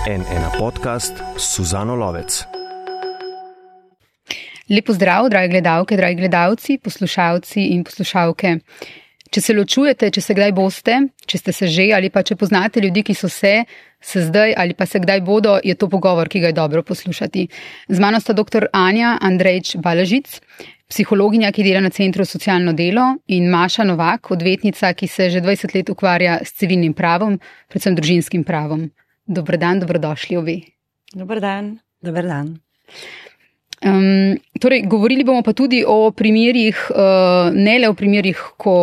N1 podcast s Suzano Lovec. Lep pozdrav, dragi gledalke, dragi gledalci, poslušalci in poslušalke. Če se ločujete, če se kdaj boste, če ste se že ali pa če poznate ljudi, ki so se zdaj ali pa se kdaj bodo, je to pogovor, ki ga je dobro poslušati. Z mano sta dr. Anja Andrejč-Balažic, psihologinja, ki dela na Centru za socialno delo, in Maša Novak, odvetnica, ki se že 20 let ukvarja s civilnim pravom, predvsem družinskim pravom. Dober dan, dobrodošli obe. Dober dan. Dober dan. Torej, govorili bomo pa tudi o primerih, ne le o primerih, ko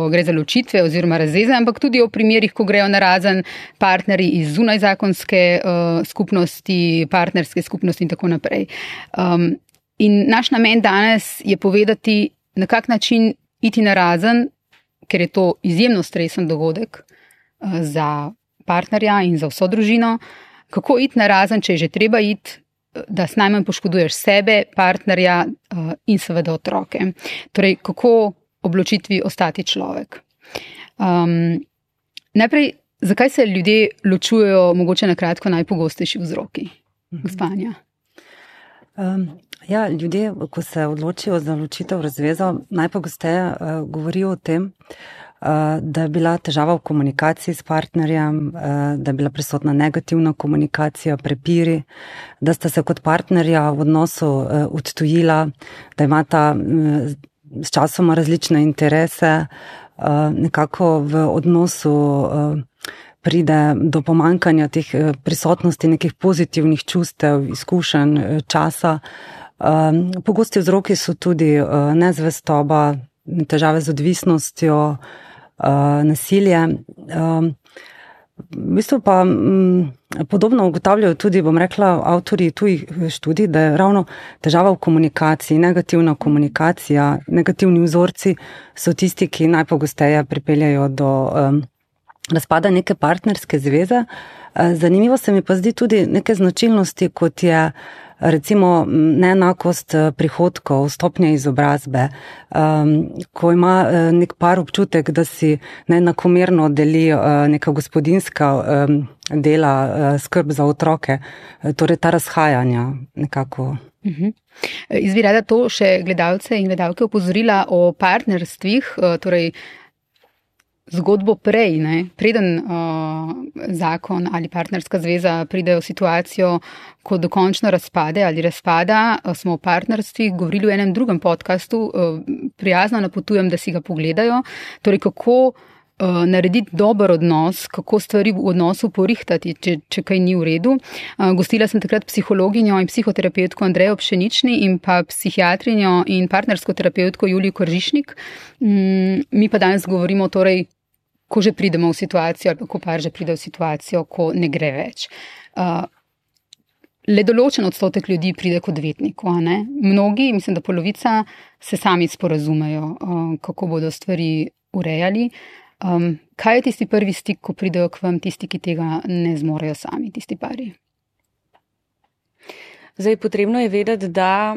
gre za ločitve oziroma razveze, ampak tudi o primerih, ko grejo narazen partnerji iz zunajzakonske skupnosti, partnerske skupnosti in tako naprej. In naš namen danes je povedati, na kak način iti narazen, ker je to izjemno stresen dogodek za partnerja in za vso družino, kako iti narazen, če je že treba iti, da s najmanj poškoduješ sebe, partnerja in seveda otroke. Torej, kako ob ločitvi ostati človek. Najprej, zakaj se ljudje ločujejo, mogoče na kratko, najpogostejši vzroki? Gospanja. Ljudje, ko se odločijo za ločitev, razvezo, najpogosteje govorijo o tem, da je bila težava v komunikaciji s partnerjem, da je bila prisotna negativna komunikacija, prepiri, da sta se kot partnerja v odnosu odtujila, da imata s časoma različne interese, nekako v odnosu pride do pomanjkanja teh prisotnosti nekih pozitivnih čustev, izkušenj, časa. Pogosti vzroki so tudi nezvestoba, težave z odvisnostjo, nasilje. V bistvu pa podobno ugotavljajo tudi, bom rekla, avtorji tujih študij, da je ravno težava v komunikaciji, negativna komunikacija, negativni vzorci so tisti, ki najpogosteje pripeljajo do razpada neke partnerske zveze. Zanimivo se mi pa zdi tudi neke značilnosti, kot je recimo neenakost prihodkov, stopnje izobrazbe, ko ima nek par občutek, da si neenakomerno deli neka gospodinjska dela, skrb za otroke, torej ta razhajanja nekako. Jaz bi rada to še gledalce in gledalke opozorila o partnerstvih, torej zgodbo prej, preden zakon ali partnerska zveza pride v situacijo, ko dokončno razpade ali razpada, smo v partnerstvih govorili v enem drugem podcastu, prijazno napotujem, da si ga pogledajo, torej kako narediti dober odnos, kako stvari v odnosu porihtati, če kaj ni v redu. Gostila sem takrat psihologinjo in psihoterapevtko Andrejo Pšenični in pa psihiatrinjo in partnersko terapevtko Julijo Koržišnik. Mi pa danes govorimo torej, ko že pridemo v situacijo, ali ko par že pride v situacijo, ko ne gre več. Le določen odstotek ljudi pride k odvetniku, a ne? Mnogi, mislim, da polovica, se sami sporazumejo, kako bodo stvari urejali. Kaj je tisti prvi stik, ko pridejo k vam tisti, ki tega ne zmorejo sami, tisti pari? Zdaj, potrebno je vedeti, da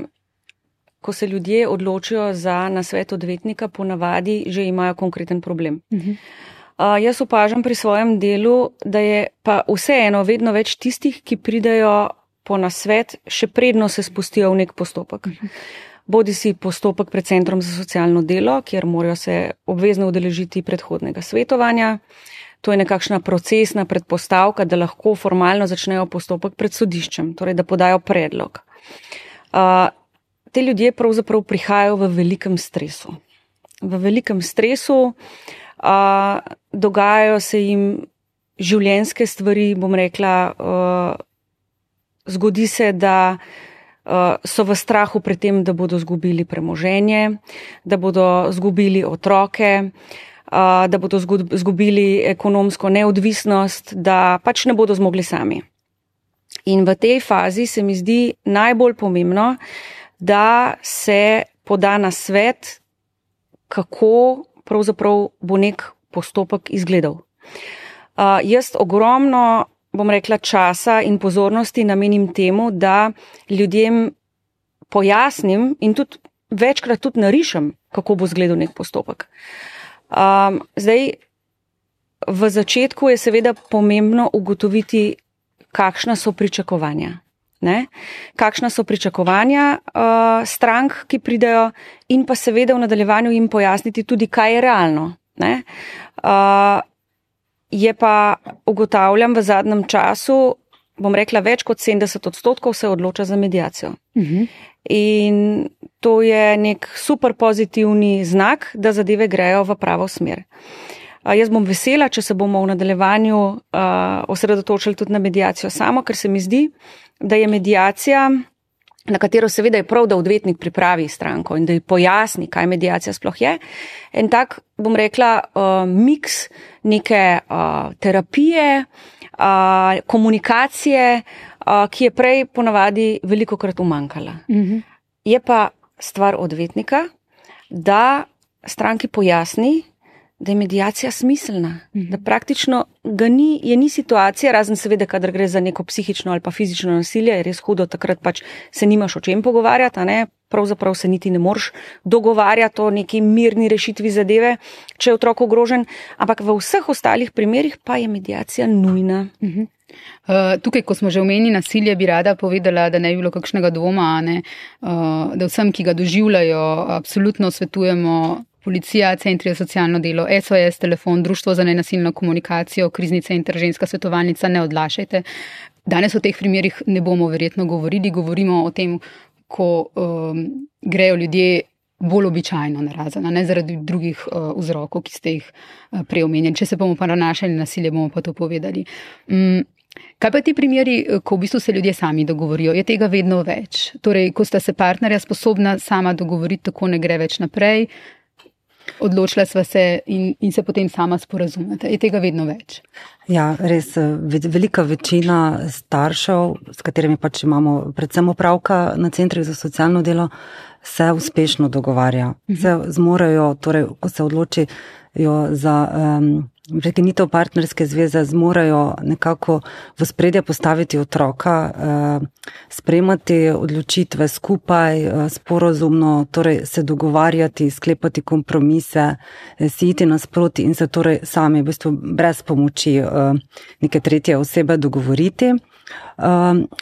ko se ljudje odločijo za nasvet odvetnika, ponavadi že imajo konkreten problem. Jaz opažam pri svojem delu, da je pa vseeno vedno več tistih, ki pridejo po nasvet, še predno se spustijo v nek postopek. Bodi si postopek pred Centrom za socialno delo, kjer morajo se obvezno udeležiti predhodnega svetovanja. To je nekakšna procesna predpostavka, da lahko formalno začnejo postopek pred sodiščem, torej da podajo predlog. Te ljudje pravzaprav prihajajo v velikem stresu. V velikem stresu dogajajo se jim življenjske stvari, bom rekla, zgodi se, da so v strahu pred tem, da bodo zgubili premoženje, da bodo zgubili otroke, da bodo zgubili ekonomsko neodvisnost, da pač ne bodo zmogli sami. In v tej fazi se mi zdi najbolj pomembno, da se poda nasvet, kako pravzaprav bo nek postopek izgledal. Jaz ogromno, bom rekla, časa in pozornosti namenim temu, da ljudem pojasnim in tudi večkrat tudi narišem, kako bo izgledal nek postopek. Zdaj, v začetku je seveda pomembno ugotoviti, kakšna so pričakovanja. Ne? Kakšna so pričakovanja strank, ki pridejo, in pa seveda v nadaljevanju jim pojasniti tudi, kaj je realno. Ne? Je pa, ugotavljam, v zadnjem času, bom rekla, več kot 70% se odloča za mediacijo. In to je nek super pozitivni znak, da zadeve grejo v pravo smer. Jaz bom vesela, če se bomo v nadaljevanju osredotočili tudi na mediacijo samo, ker se mi zdi, da je mediacija, na katero seveda je prav, da odvetnik pripravi stranko in da ji pojasni, kaj mediacija sploh je, en tak, bom rekla, miks neke terapije, komunikacije, ki je prej ponavadi velikokrat umanjkala. Je pa stvar odvetnika, da stranki pojasni, da je mediacija smiselna, da praktično ni situacija, razen seveda, kadar gre za neko psihično ali pa fizično nasilje, je res hudo, takrat pač se nimaš o čem pogovarjati, a ne? Pravzaprav se niti ne moreš dogovarjati o neki mirni rešitvi zadeve, če je otrok ogrožen, ampak v vseh ostalih primerih pa je mediacija nujna. Tukaj, ko smo že omenili nasilje, bi rada povedala, da ne bi bilo kakšnega dvoma, da vsem, ki ga doživljajo, absolutno svetujemo policija, centri za socialno delo, SOS, telefon, društvo za nenasilno komunikacijo, krizni center, ženska svetovalnica, ne odlašajte. Danes o teh primerih ne bomo verjetno govorili, govorimo o tem, ko grejo ljudje bolj običajno narazen, ne zaradi drugih vzrokov, ki ste jih preomenjali. Če se bomo pa nanašali na nasilje, bomo pa to povedali. Kaj pa ti primeri, ko v bistvu se ljudje sami dogovorijo? Je tega vedno več? Torej, ko sta se partnerja sposobna sama dogovoriti, tako ne gre več naprej, odločila sva se in se potem sama sporazumete. Je tega vedno več? Ja, res, velika večina staršev, s katerimi pač imamo predvsem opravka na centrih za socialno delo, se uspešno dogovarja. Se zmorejo, torej, ko se odločijo za prekinitev partnerske zveze, zmorejo nekako v spredje postaviti otroka, sprejemati odločitve skupaj, sporazumno, torej se dogovarjati, sklepati kompromise, si iti nasproti in se torej sami v bistvu brez pomoči neke tretje osebe dogovoriti.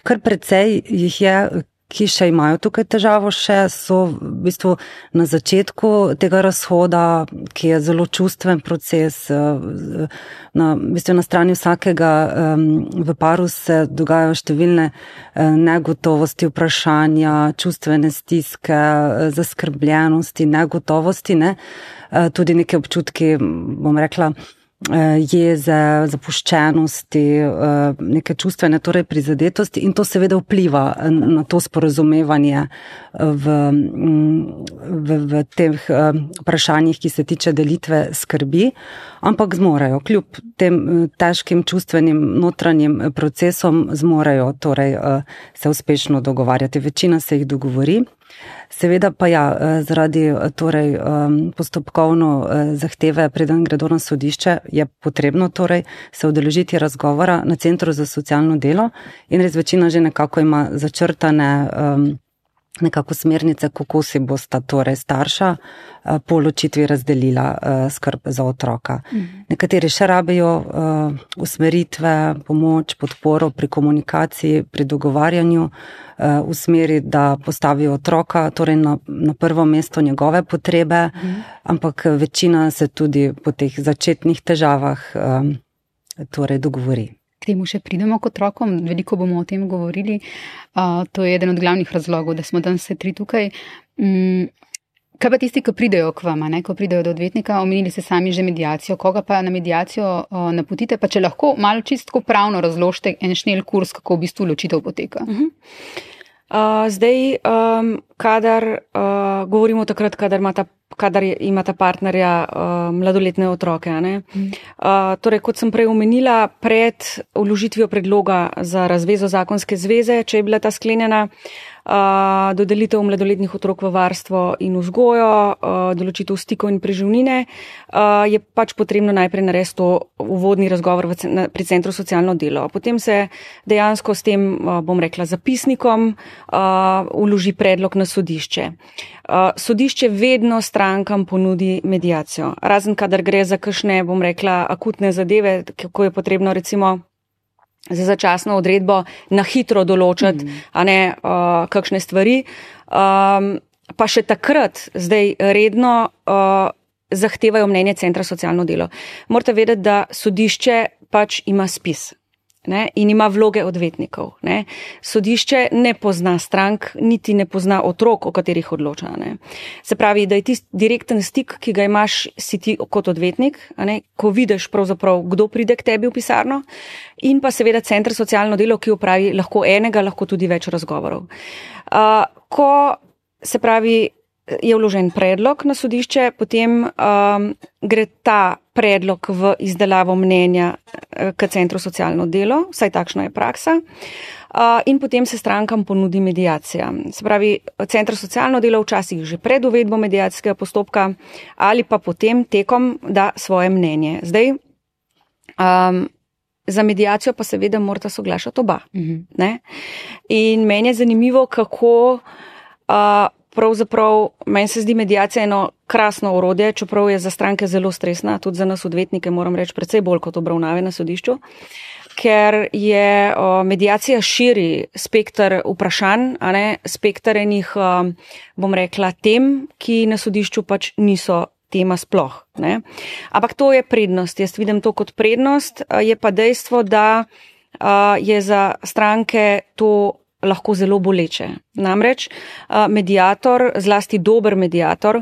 Kar precej jih je, ki še imajo tukaj težavo, še so v bistvu na začetku tega razhoda, ki je zelo čustven proces. V bistvu na strani vsakega v paru se dogajajo številne negotovosti, vprašanja, čustvene stiske, zaskrbljenosti, negotovosti, ne? Tudi neke občutki, bom rekla, jeze, zapuščenosti, neke čustvene torej prizadetosti in to seveda vpliva na to sporazumevanje v teh vprašanjih, ki se tiče delitve skrbi, ampak zmorejo, kljub tem težkim čustvenim notranjim procesom zmorejo torej se uspešno dogovarjati. Večina se jih dogovori. Seveda pa ja, zaradi torej postopkovno zahteve, preden gredo na sodišče, je potrebno torej se udeležiti razgovora na centru za socialno delo in res večina že nekako ima začrtane nekako smernice, kako si bosta torej starša po ločitvi razdelila skrb za otroka. Nekateri še rabijo usmeritve, pomoč, podporo pri komunikaciji, pri dogovarjanju v smeri, da postavijo otroka torej na prvo mesto njegove potrebe, ampak večina se tudi po teh začetnih težavah torej dogovori. K temu še pridemo k otrokom, veliko bomo o tem govorili. To je eden od glavnih razlogov, da smo danes vse tri tukaj. Kaj pa tisti, ki pridejo k vama, ko pridejo do odvetnika, omenili ste sami že mediacijo, koga pa na mediacijo napotite, pa če lahko malo čistko pravno razložite en šnel kurs, kako v bistvu ločitev poteka. Zdaj, kadar govorimo takrat, kadar imata partnerja mladoletne otroke, ne? Torej, kot sem prej omenila, pred vložitvijo predloga za razvezo zakonske zveze, če je bila ta sklenjena, dodelitev mladoletnih otrok v varstvo in vzgojo, določitev stikov in preživnine, je pač potrebno najprej narediti to uvodni razgovor pri centru socialno delo. Potem se dejansko s tem, bom rekla, zapisnikom vloži predlog na sodišče. Sodišče vedno strankam ponudi mediacijo, razen kadar gre za kakšne, bom rekla, akutne zadeve, ko je potrebno recimo za začasno odredbo na hitro določati, kakšne stvari. Pa še takrat zdaj redno zahtevajo mnenje Centra socialno delo. Morate vedeti, da sodišče pač ima spis. In ima vloge odvetnikov. Sodišče ne pozna strank, niti ne pozna otrok, o katerih odloča. Se pravi, da je tisti direkten stik, ki ga imaš, si ti kot odvetnik, ko vidiš pravzaprav, kdo pride k tebi v pisarno, in pa seveda Center socialno delo, ki opravi lahko enega, lahko tudi več razgovorov. Ko se pravi, je vložen predlog na sodišče, potem gre ta predlog v izdelavo mnenja k Centru socialno delo, vsaj takšna je praksa, in potem se strankam ponudi mediacija. Se pravi, Centr socialno delo včasih že pred uvedbo mediacijskega postopka ali pa potem tekom da svoje mnenje. Zdaj, za mediacijo pa seveda morata soglašati oba. In meni je zanimivo, kako pravzaprav, meni se zdi mediacija eno krasno orodje, čeprav je za stranke zelo stresna, tudi za nas odvetnike, moram reči, precej bolj kot obravnave na sodišču, ker je mediacija širi spekter vprašanj, spekter enih, bom rekla, tem, ki na sodišču pač niso tema sploh. Ampak to je prednost, jaz vidim to kot prednost, je pa dejstvo, da je za stranke to lahko zelo boleče. Namreč mediator, zlasti dober mediator,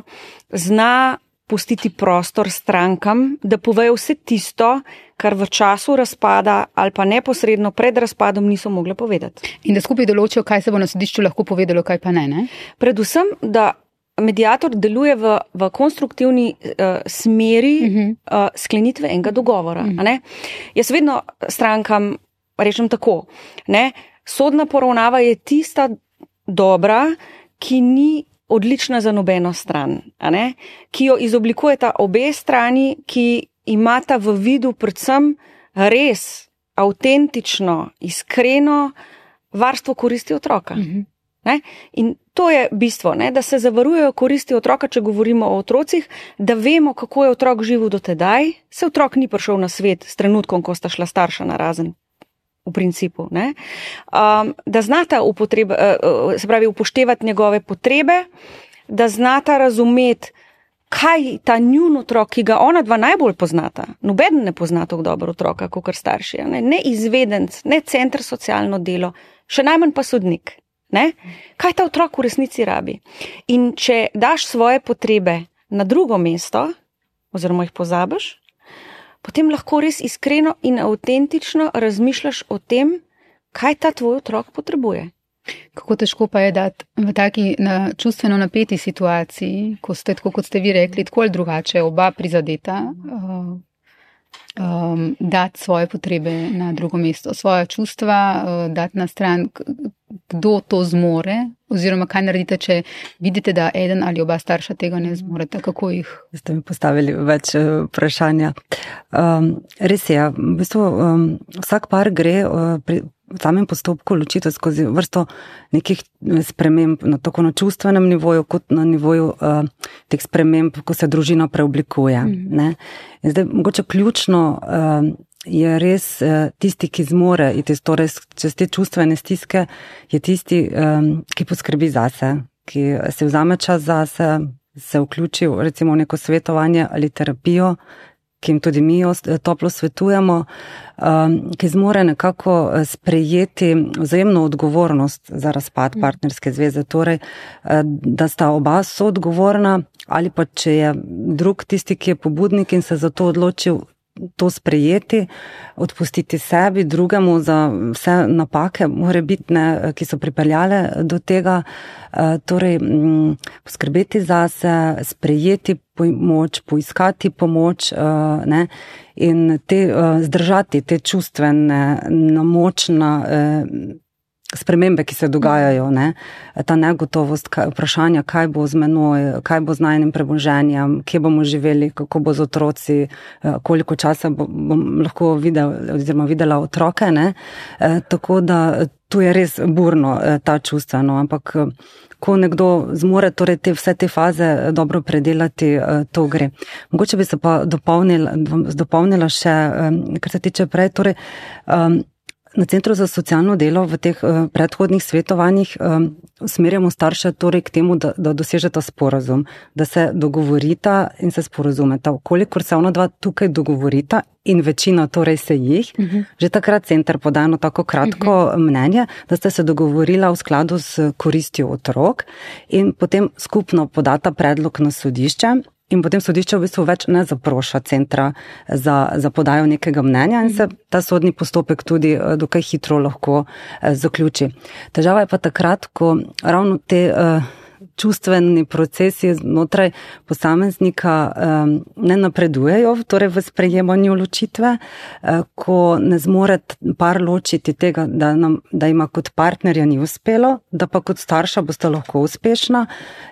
zna pustiti prostor strankam, da povejo vse tisto, kar v času razpada ali pa neposredno pred razpadom niso mogle povedati. In da skupaj določijo, kaj se bo na sodišču lahko povedalo, kaj pa ne? Predvsem, da mediator deluje v konstruktivni smeri sklenitve enega dogovora. Jaz vedno strankam rečem tako, sodna poravnava je tista dobra, ki ni odlična za nobeno stran, ki jo izoblikujeta obe strani, ki imata v vidu predvsem res avtentično, iskreno varstvo koristi otroka. In to je bistvo, da se zavarujejo koristi otroka, če govorimo o otrocih, da vemo, kako je otrok živel do tedaj, se otrok ni prišel na svet s trenutkom, ko sta šla starša narazen. V principu, da znata se pravi, upoštevati njegove potrebe, da znata razumeti, kaj ta njun otrok, ki ga ona dva najbolj poznata, nobeden ne pozna tako dobro otroka, kakor starši, ne izvedenc, ne Center socialno delo, še najmanj pa sodnik. Kaj ta otrok v resnici rabi? In če daš svoje potrebe na drugo mesto, oziroma jih pozabiš, potem lahko res iskreno in avtentično razmišljaš o tem, kaj ta tvoj otrok potrebuje. Kako težko pa je dati v taki čustveno napeti situaciji, ko ste, tako kot ste vi rekli, tako ali drugače, oba prizadeta, dati svoje potrebe na drugo mesto, svoja čustva, dati na stran, kdo to zmore, oziroma kaj naredite, če vidite, da eden ali oba starša tega ne zmorete, kako jih? Ste mi postavili več vprašanja. Res je, v bistvu vsak par gre pri samem postopku ločitev skozi vrsto nekih sprememb, tako na čustvenem nivoju, kot na nivoju teh sprememb, ko se družina preoblikuje. In zdaj, mogoče ključno je res tisti, ki zmore, torej čez te čustvene stiske, je tisti, ki poskrbi zase, ki se vzame čas zase, se vključi recimo v neko svetovanje ali terapijo, ki jim tudi mi toplo svetujemo, ki zmore nekako sprejeti vzajemno odgovornost za razpad partnerske zveze, torej, da sta oba soodgovorna, ali pa če je drug tisti, ki je pobudnik in se za to odločil to sprejeti, odpustiti sebi, drugemu za vse napake morebitne, ki so pripeljale do tega, torej poskrbeti zase, sprejeti pomoč, poiskati pomoč, in zdržati te čustvene, močne spremembe, ki se dogajajo, ta negotovost, vprašanja, kaj bo z menoj, kaj bo z najnim premoženjem, kje bomo živeli, kako bo z otroci, koliko časa bom lahko videla otroke, tako da tu je res burno ta čustveno, ampak ko nekdo zmore torej vse te faze dobro predelati, to gre. Mogoče bi se pa dopolnila še, kar se tiče prej, torej Na Centru za socialno delo v teh predhodnih svetovanjih usmerjamo starše torej k temu, da dosežeta sporazum, da se dogovorita in se sporazumeta. Kolikor se ona dva tukaj dogovorita in večina torej se jih, že takrat center poda eno tako kratko mnenje, da ste se dogovorila v skladu s koristjo otrok in potem skupno podata predlog na sodišče. In potem sodišče v bistvu več ne zaproša centra za podajo nekega mnenja in se ta sodni postopek tudi dokaj hitro lahko zaključi. Težava je pa takrat, ko ravno te čustveni procesi znotraj posameznika ne napredujejo, torej v sprejemanju ločitve, ko ne zmore par ločiti tega, da ima kot partnerja ni uspelo, da pa kot starša boste lahko uspešna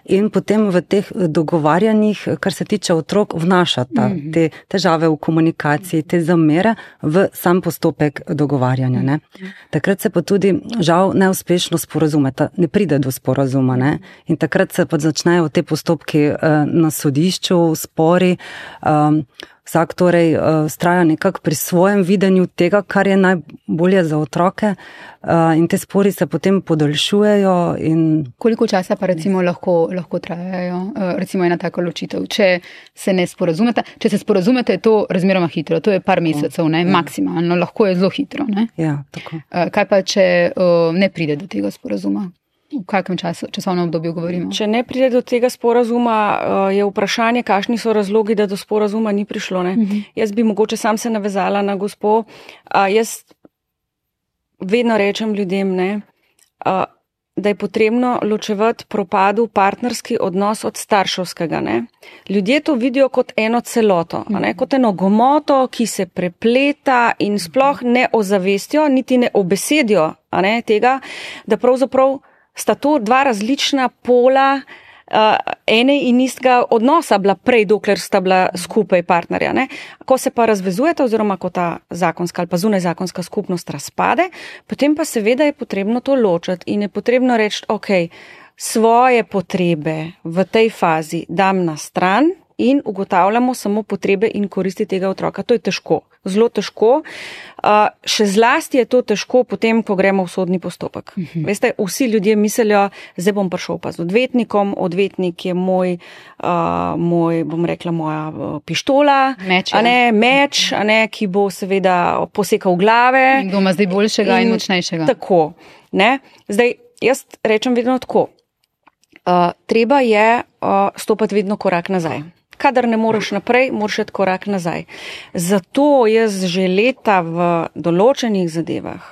in potem v teh dogovarjanjih, kar se tiče otrok, vnašata te težave v komunikaciji, te zamere v sam postopek dogovarjanja. Ne. Takrat se pa tudi žal neuspešno sporazumeta, ne pride do sporazuma. Ne. In takrat se pa začnejo te postopki na sodišču, spori. Vsak torej vztraja nekako pri svojem videnju tega, kar je najbolje za otroke in te spori se potem podaljšujejo. Koliko časa pa recimo lahko trajajo, recimo ena taka ločitev, če se ne sporazumete? Če se sporazumete, je to razmeroma hitro, to je par mesecev, ne, maksimalno, lahko je zelo hitro. Ne? Ja, tako. Kaj pa, če ne pride do tega sporazuma? V kakem časovnem obdobju govorimo? Če ne pride do tega sporazuma, je vprašanje, kakšni so razlogi, da do sporazuma ni prišlo. Ne? Jaz bi mogoče sam se navezala na gospo. Jaz vedno rečem ljudem, ne, da je potrebno ločevati propadu partnerski odnos od starševskega. Ne? Ljudje to vidijo kot eno celoto, ne? Kot eno gomoto, ki se prepleta in sploh ne ozavestijo, niti ne obesedijo tega, da pravzaprav sta to dva različna pola ene in istega odnosa bila prej, dokler sta bila skupaj partnerja. Ne? Ko se pa razvezujeta oziroma ko ta zakonska ali pa zunajzakonska skupnost razpade, potem pa seveda je potrebno to ločiti in je potrebno reči, ok, svoje potrebe v tej fazi dam na stran in ugotavljamo samo potrebe in koristi tega otroka. To je težko, zelo težko. Še zlasti je to težko potem, ko gremo v sodni postopek. Veste, vsi ljudje mislijo, zdaj bom prišel pa z odvetnikom, odvetnik je moj, bom rekla, moja pištola, meč, ki bo seveda posekal glave. In kdo ima zdaj boljšega in močnejšega. Tako, ne. Zdaj, jaz rečem vedno tako, treba je stopati vedno korak nazaj. Kadar ne moreš naprej, moraš iti korak nazaj. Zato jaz že leta v določenih zadevah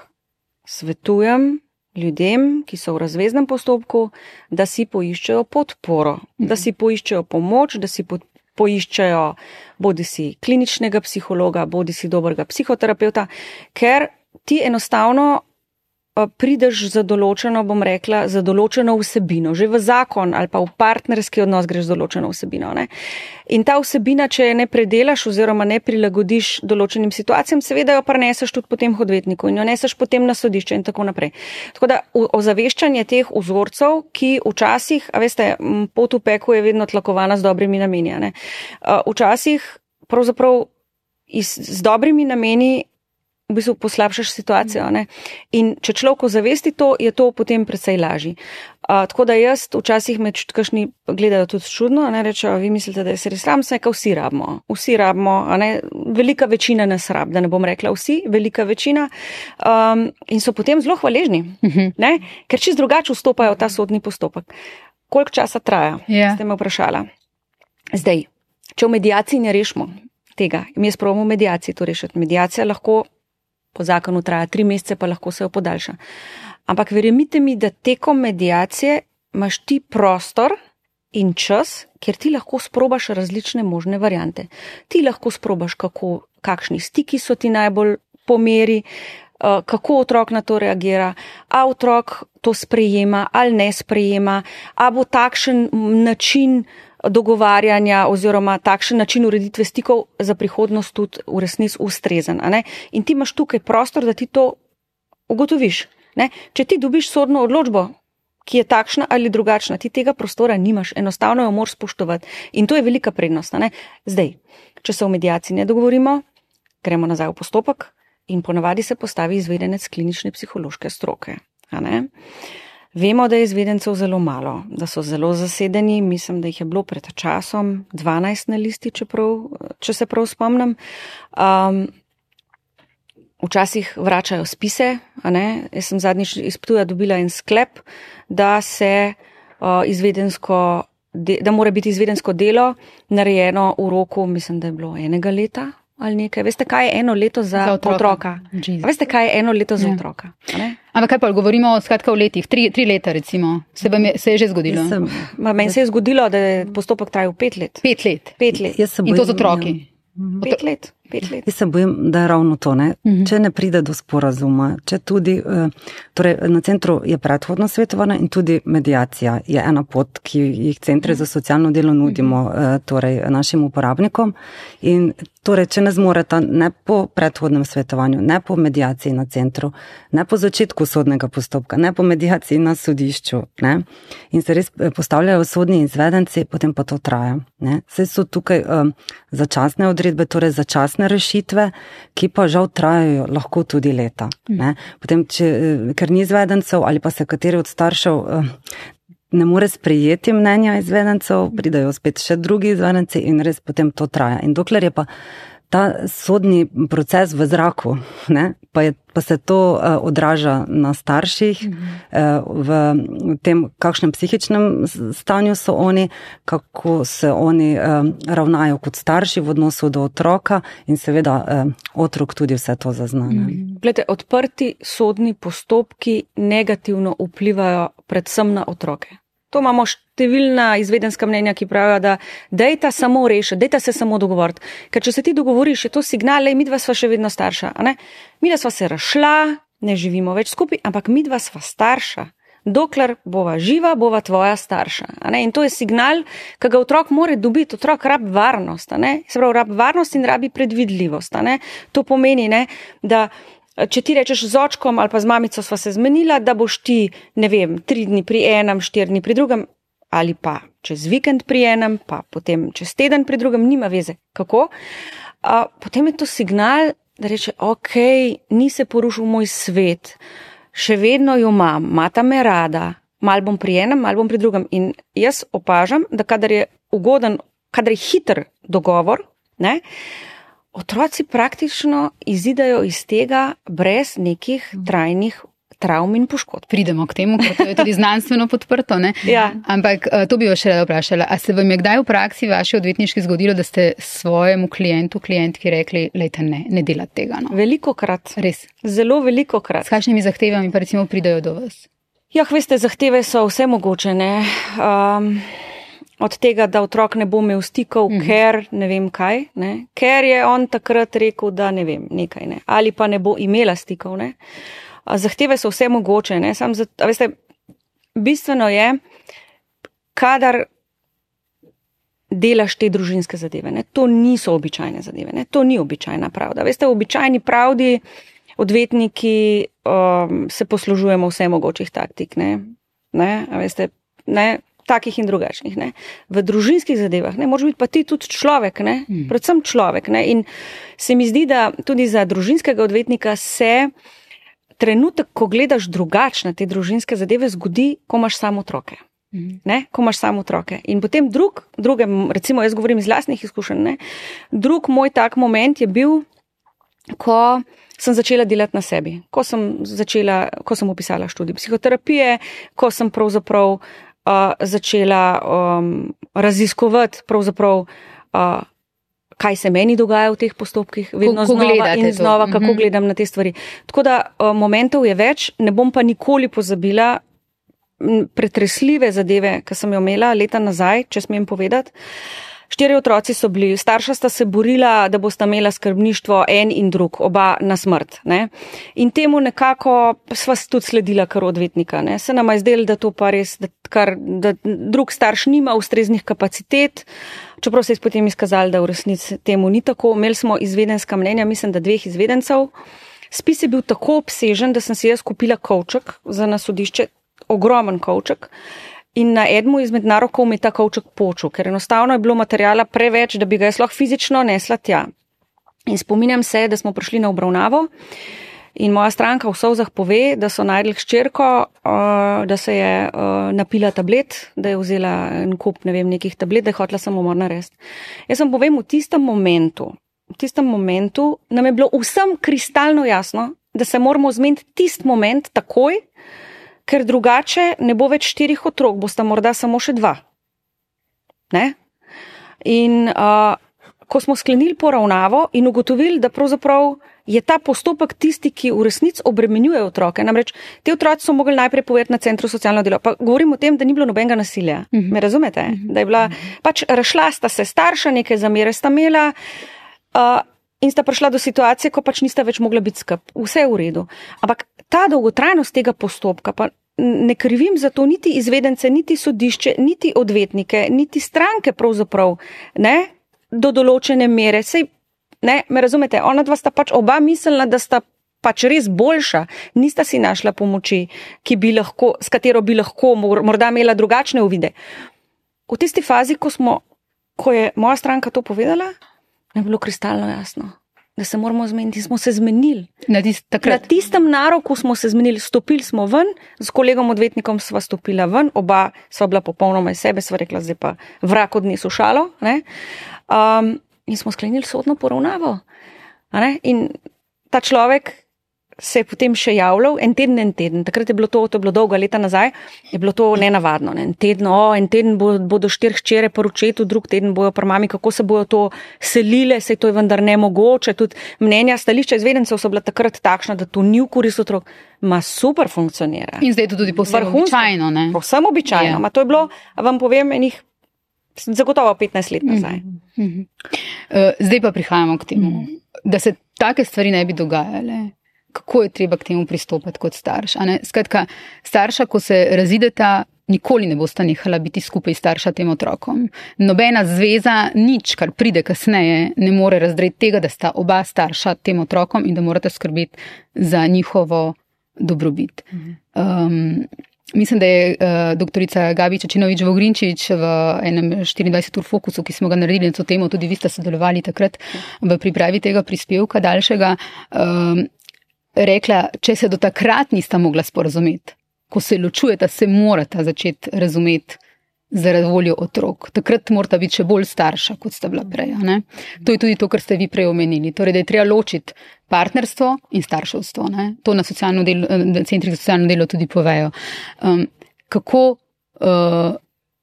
svetujem ljudem, ki so v razveznem postopku, da si poiščejo podporo, da si poiščejo pomoč, da si poiščejo bodisi kliničnega psihologa, bodisi dobrega psihoterapeuta, ker ti enostavno prideš za določeno, bom rekla, za določeno vsebino. Že v zakon ali pa v partnerski odnos greš z določeno vsebino. Ne? In ta vsebina, če je ne predelaš oziroma ne prilagodiš določenim situacijam, seveda jo preneseš tudi potem hodvetniku in jo neseš potem na sodišče in tako naprej. Tako da ozaveščanje teh vzorcev, ki včasih, a veste, pot v peku je vedno tlakovana z dobrimi nameni. Ne? Včasih pravzaprav z dobrimi nameni v bistvu poslabšaš situacijo. Ne? In če človek ozavesti to, je to potem precej lažji. Tako da jaz včasih me kakšni gledajo tudi čudno, ne rečejo, vi mislite, da je se res sram, se vsi rabimo. Vsi rabimo, velika večina nas rab, da ne bom rekla vsi, velika večina. In so potem zelo hvaležni, ne? Ker čist drugače vstopajo v ta sodni postopek. Koliko časa traja? Ste me vprašala. Zdaj, če v medijaciji ne rešimo tega, mi je sprobamo v medijaciji to rešiti. Medijacija lahko po zakonu traja 3 mesece, pa lahko se jo podaljša. Ampak verjemite mi, da tekom medijacije imaš ti prostor in čas, kjer ti lahko sprobaš različne možne variante. Ti lahko sprobaš, kakšni stiki so ti najbolj po meri, kako otrok na to reagira, a otrok to sprejema ali ne sprejema, a bo takšen način dogovarjanja oziroma takšen način ureditve stikov za prihodnost tudi v resnici ustrezen. In ti imaš tukaj prostor, da ti to ugotoviš. Ne? Če ti dobiš sodno odločbo, ki je takšna ali drugačna, ti tega prostora nimaš, enostavno jo moraš spoštovati. In to je velika prednost. Zdaj, če se v medijaciji ne dogovorimo, gremo nazaj v postopek, in ponavadi se postavi izvedenec klinične psihološke stroke. A ne? Vemo, da je izvedencev zelo malo, da so zelo zasedeni, mislim, da jih je bilo pred časom 12 na listi, če se prav spomnim. Včasih vračajo spise, a ne? Jaz sem zadnjič iz Ptuja dobila en sklep, da se da mora biti izvedensko delo narejeno v roku, mislim, da je bilo 1 leta ali nekaj. Veste, kaj je 1 leto za otroka? Veste, kaj je 1 leto za otroka? Ampak kaj pa, govorimo skratka o letih, 3 leta recimo, se je že zgodilo? Meni se je zgodilo, da je postopek trajal 5 let. 5 let? 5 let. In to z otroki? 5 let. 5 let. Jaz se bojim, da je ravno to, ne? Če ne pride do sporazuma, če tudi, torej na centru je predhodno svetovanje in tudi mediacija je ena pot, ki jih centri za socialno delo nudimo torej našim uporabnikom in torej, če ne zmoreta ne po predhodnem svetovanju, ne po mediaciji na centru, ne po začetku sodnega postopka, ne po mediaciji na sodišču, ne? In se res postavljajo sodni izvedenci, potem pa to traja, ne? Saj so tukaj začasne odredbe, torej začasne rešitve, ki pa žal trajajo lahko tudi leta, ne? Potem, ker ni izvedencev ali pa se kateri od staršev ne more sprejeti mnenja izvedencev, pridajo spet še drugi izvedenci in res potem to traja. In dokler je pa ta sodni proces v zraku, ne, pa se to odraža na starših, v tem, kakšnem psihičnem stanju so oni, kako se oni ravnajo kot starši v odnosu do otroka in seveda otrok tudi vse to zazna. Glede, odprti sodni postopki negativno vplivajo predvsem na otroke. To imamo številna izvedenska mnenja, ki pravijo, da dejta samo rešiti, dejta se samo dogovoriti. Ker če se ti dogovoriš, je to signal, midva sva še vedno starša. Midva sva se razšla, ne živimo več skupaj, ampak midva sva starša. Dokler bova živa, bova tvoja starša. In to je signal, ki ga otrok mora dobiti. Otrok rabi varnost. Se pravi, rabi varnost in rabi predvidljivost. To pomeni, da če ti rečeš z očkom ali pa z mamico sva se zmenila, da boš ti, 3 dni pri enem, 4 dni pri drugem, ali pa čez vikend pri enem, pa potem čez teden pri drugem, nima veze. Kako? Potem je to signal, da reče, ok, ni se porušil moj svet, še vedno jo imam, mata me rada, mal bom pri enem, mal bom pri drugem. In jaz opažam, da kadar je ugoden, kadar je hiter dogovor, otroci praktično izidajo iz tega brez nekih trajnih travm in poškodb. Pridemo k temu, ker to je tudi znanstveno podprto, ne? Ja. Ampak to bi jo še rada vprašala. A se vam je kdaj v praksi vaši odvetniški zgodilo, da ste svojemu klientki rekli, lejte, ne delate tega? Velikokrat. Res? Zelo velikokrat. S kakšnimi zahtevami pa recimo pridajo do vas? Ja, veste, zahteve so vse mogoče, ne? Od tega, da otrok ne bo imel stikov, ker ne vem kaj, ker je on takrat rekel, da ne vem, nekaj, ali pa ne bo imela stikov. Zahteve so vse mogoče. Veste, bistveno je, kadar delaš te družinske zadeve. To niso običajne zadeve, to ni običajna pravda. Veste, v običajni pravdi odvetniki se poslužujemo vse mogočih taktik. Veste, takih in drugačnih. V družinskih zadevah moraš biti pa ti tudi človek, predvsem človek. In se mi zdi, da tudi za družinskega odvetnika se trenutek, ko gledaš drugače na te družinske zadeve, zgodi, ko imaš samo otroke. Ko imaš samo otroke. In potem drugem, recimo jaz govorim iz lastnih izkušenj, drug moj tak moment je bil, ko sem začela delati na sebi, ko sem opisala študij psihoterapije, ko sem pravzaprav začela raziskovati pravzaprav, kaj se meni dogaja v teh postopkih, vedno znova in znova, kako gledam na te stvari. Tako da momentov je več, ne bom pa nikoli pozabila pretresljive zadeve, ki sem jo imela leta nazaj, če smem povedati. 4 otroci so bili, starša sta se borila, da bosta imela skrbništvo en in drug, oba na smrt. In temu nekako sva tudi sledila kar odvetnika. Se nama je zdelo, da to pa res, da drug starš nima ustreznih kapacitet, čeprav se je potem izkazalo, da v resnici temu ni tako. Imeli smo izvedenska mnenja, mislim, da 2 izvedencev. Spis je bil tako obsežen, da sem si jaz kupila kovček za na sodišče, ogromen kovček. In na enemu izmed narokov mi je ta kovček počel, ker enostavno je bilo materijala preveč, da bi ga jaz lahko fizično nesla tja. In spominjam se, da smo prišli na obravnavo in moja stranka v solzah pove, da so najdli hčerko, da se je napila tablet, da je vzela en kup, nekih tablet, da je hotela samomor narediti. Jaz vam povem, v tistem momentu nam je bilo vsem kristalno jasno, da se moramo zmeniti tisti moment takoj, ker drugače ne bo več 4 otrok, bosta morda samo še 2. Ne? In ko smo sklenili poravnavo in ugotovili, da pravzaprav je ta postopek tisti, ki v resnici obremenjuje otroke. Namreč, te otroci so mogli najprej povedati na centru socialno delo. Pa govorim o tem, da ni bilo nobenega nasilja. Me razumete? Da je bila, pač razšla sta se starša, neke zamere sta imela in sta prišla do situacije, ko pač nista več mogla biti skup. Vse je v redu. Ampak ta dolgotrajnost tega postopka, pa ne krivim za to niti izvedence, niti sodišče, niti odvetnike, niti stranke pravzaprav, ne, do določene mere. Sej, ne, me razumete, ona dva sta pač oba mislila, da sta pač res boljša, nista si našla pomoči, s katero bi lahko morda imela drugačne uvide. V tisti fazi, ko je moja stranka to povedala, je bilo kristalno jasno, da se moramo zmeniti. Smo se zmenili. Na tistem naroku smo se zmenili, stopili smo ven, s kolegom odvetnikom sva stopila ven, oba sva bila popolnoma iz sebe, sva rekla, zdaj pa vrak odnesu šalo, ne? In smo sklenili sodno poravnavo. In ta človek se je potem še javljal en teden. Takrat je bilo to je bilo dolga leta nazaj, je bilo to nenavadno. Ne? En teden bodo 4 hčere po očetu, drug teden bojo pri mami, kako se bojo to selile, saj to je vendar nemogoče. Tudi mnenja, stališča izvedencev so bila takrat takšna, da to ni v korist otrok. Super funkcionira. In zdaj je to tudi povsem običajno. Ne? Povsem običajno. Yeah. To je bilo, vam povem, enih zagotovo 15 let nazaj. Zdaj pa prihajamo k temu, da se take stvari ne bi dogajale. Kako je treba k temu pristopiti kot starš? Skratka, starša, ko se razideta, nikoli ne bosta nehala biti skupaj starša tem otrokom. Nobena zveza, nič, kar pride kasneje, ne more razdreti tega, da sta oba starša tem otrokom in da morate skrbeti za njihovo dobrobit. Mislim, da je doktorica Gabi Čačinovič-Vogrinčič v enem 24 ur fokusu, ki smo ga naredili na to temo, tudi vi ste sodelovali takrat v pripravi tega prispevka daljšega, rekla, če se do takrat nista mogla sporazumeti, ko se ločujeta, se morata začeti razumeti zaradi voljo otrok. Takrat morata biti še bolj starša, kot sta bila prej. Ne? To je tudi to, kar ste vi prej omenili. Torej, da je treba ločiti partnerstvo in starševstvo. Ne? To na centrih za socialno delo tudi povejo. Kako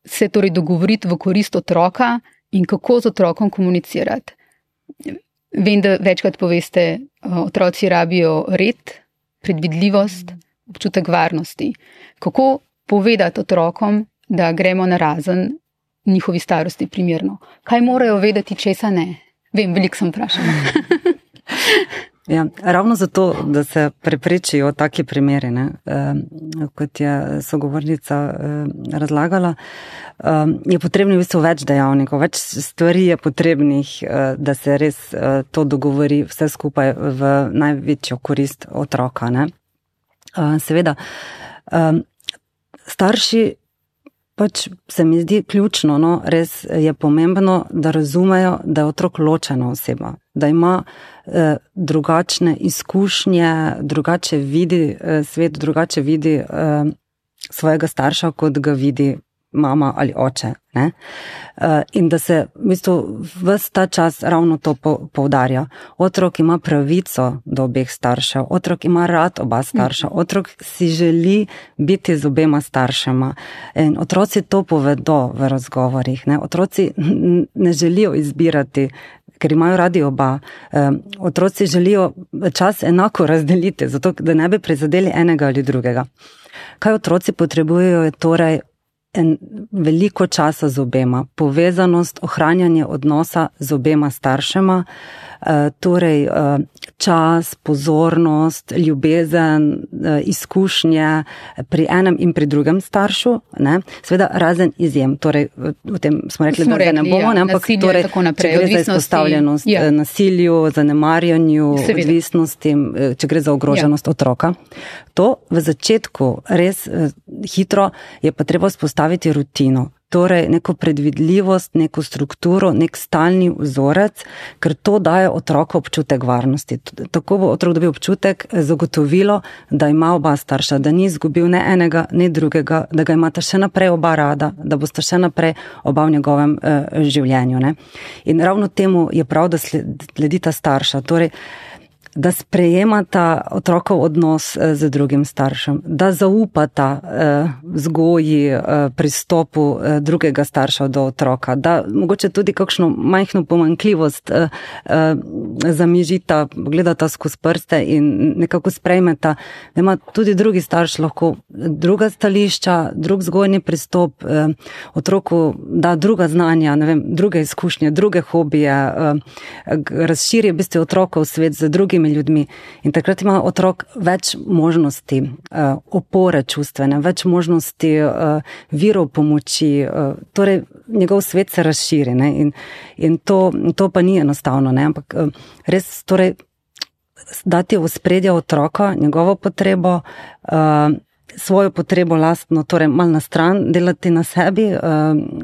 se torej dogovoriti v korist otroka in kako z otrokom komunicirati? Vem, da večkrat poveste, otroci rabijo red, predvidljivost, občutek varnosti. Kako povedati otrokom, da gremo na razen njihovi starosti primerno? Kaj morajo vedeti, česa ne? Vem, veliko sem vprašala. Ja, ravno zato, da se preprečijo taki primeri, ne, kot je sogovornica razlagala, je potrebno v bistvu več dejavnikov, več stvari je potrebnih, da se res to dogovori vse skupaj v največjo korist otroka. Ne. Seveda, starši pač se mi zdi ključno, no, res je pomembno, da razumejo, da je otrok ločena oseba, da ima drugačne izkušnje, drugače vidi svet, drugače vidi svojega starša, kot ga vidi mama ali oče. Ne? In da se v bistvu ves ta čas ravno to poudarja. Otrok ima pravico do obeh staršev, otrok ima rad oba starša, otrok si želi biti z obema staršema. In otroci to povedo v razgovorih. Ne? Otroci ne želijo izbirati, ker imajo radi oba. Otroci želijo čas enako razdeliti, zato da ne bi prizadeli enega ali drugega. Kaj otroci potrebujejo je torej veliko časa z obema, povezanost, ohranjanje odnosa z obema staršema, torej čas, pozornost, ljubezen, izkušnje pri enem in pri drugem staršu, ne? Seveda razen izjem, torej v tem smo rekli, da ne bomo, ne? Ampak torej, če gre za izpostavljenost nasilju, zanemarjanju, odvisnosti, če gre za ogroženost otroka. To v začetku res hitro je pa treba vzpostaviti rutino. torej neko predvidljivost, neko strukturo, nek stalni vzorec, ker to daje otroku občutek varnosti. Tako bo otrok dobil občutek, zagotovilo, da ima oba starša, da ni izgubil ne enega, ne drugega, da ga imata še naprej oba rada, da bosta še naprej oba v njegovem življenju. Ne? In ravno temu je prav, da sledita starša, torej da sprejemata otrokov odnos z drugim staršem, da zaupata vzgoji, pristopu drugega starša do otroka, da mogoče tudi kakšno majhno pomanjkljivost zamižita, gledata skozi prste in nekako sprejmeta, da ima tudi drugi starš lahko druga stališča, drug vzgojni pristop, otroku da druga znanja, ne vem, druge izkušnje, druge hobije, razširi v bistvu otrokov svet z drugimi ljudmi. In takrat ima otrok več možnosti, opore čustvene, več možnosti virov pomoči, torej njegov svet se razširi. Ne? In to pa ni enostavno, ne? Ampak res torej dati v ospredje otroka, njegovo potrebo, svojo potrebo lastno, torej malo na stran, delati na sebi,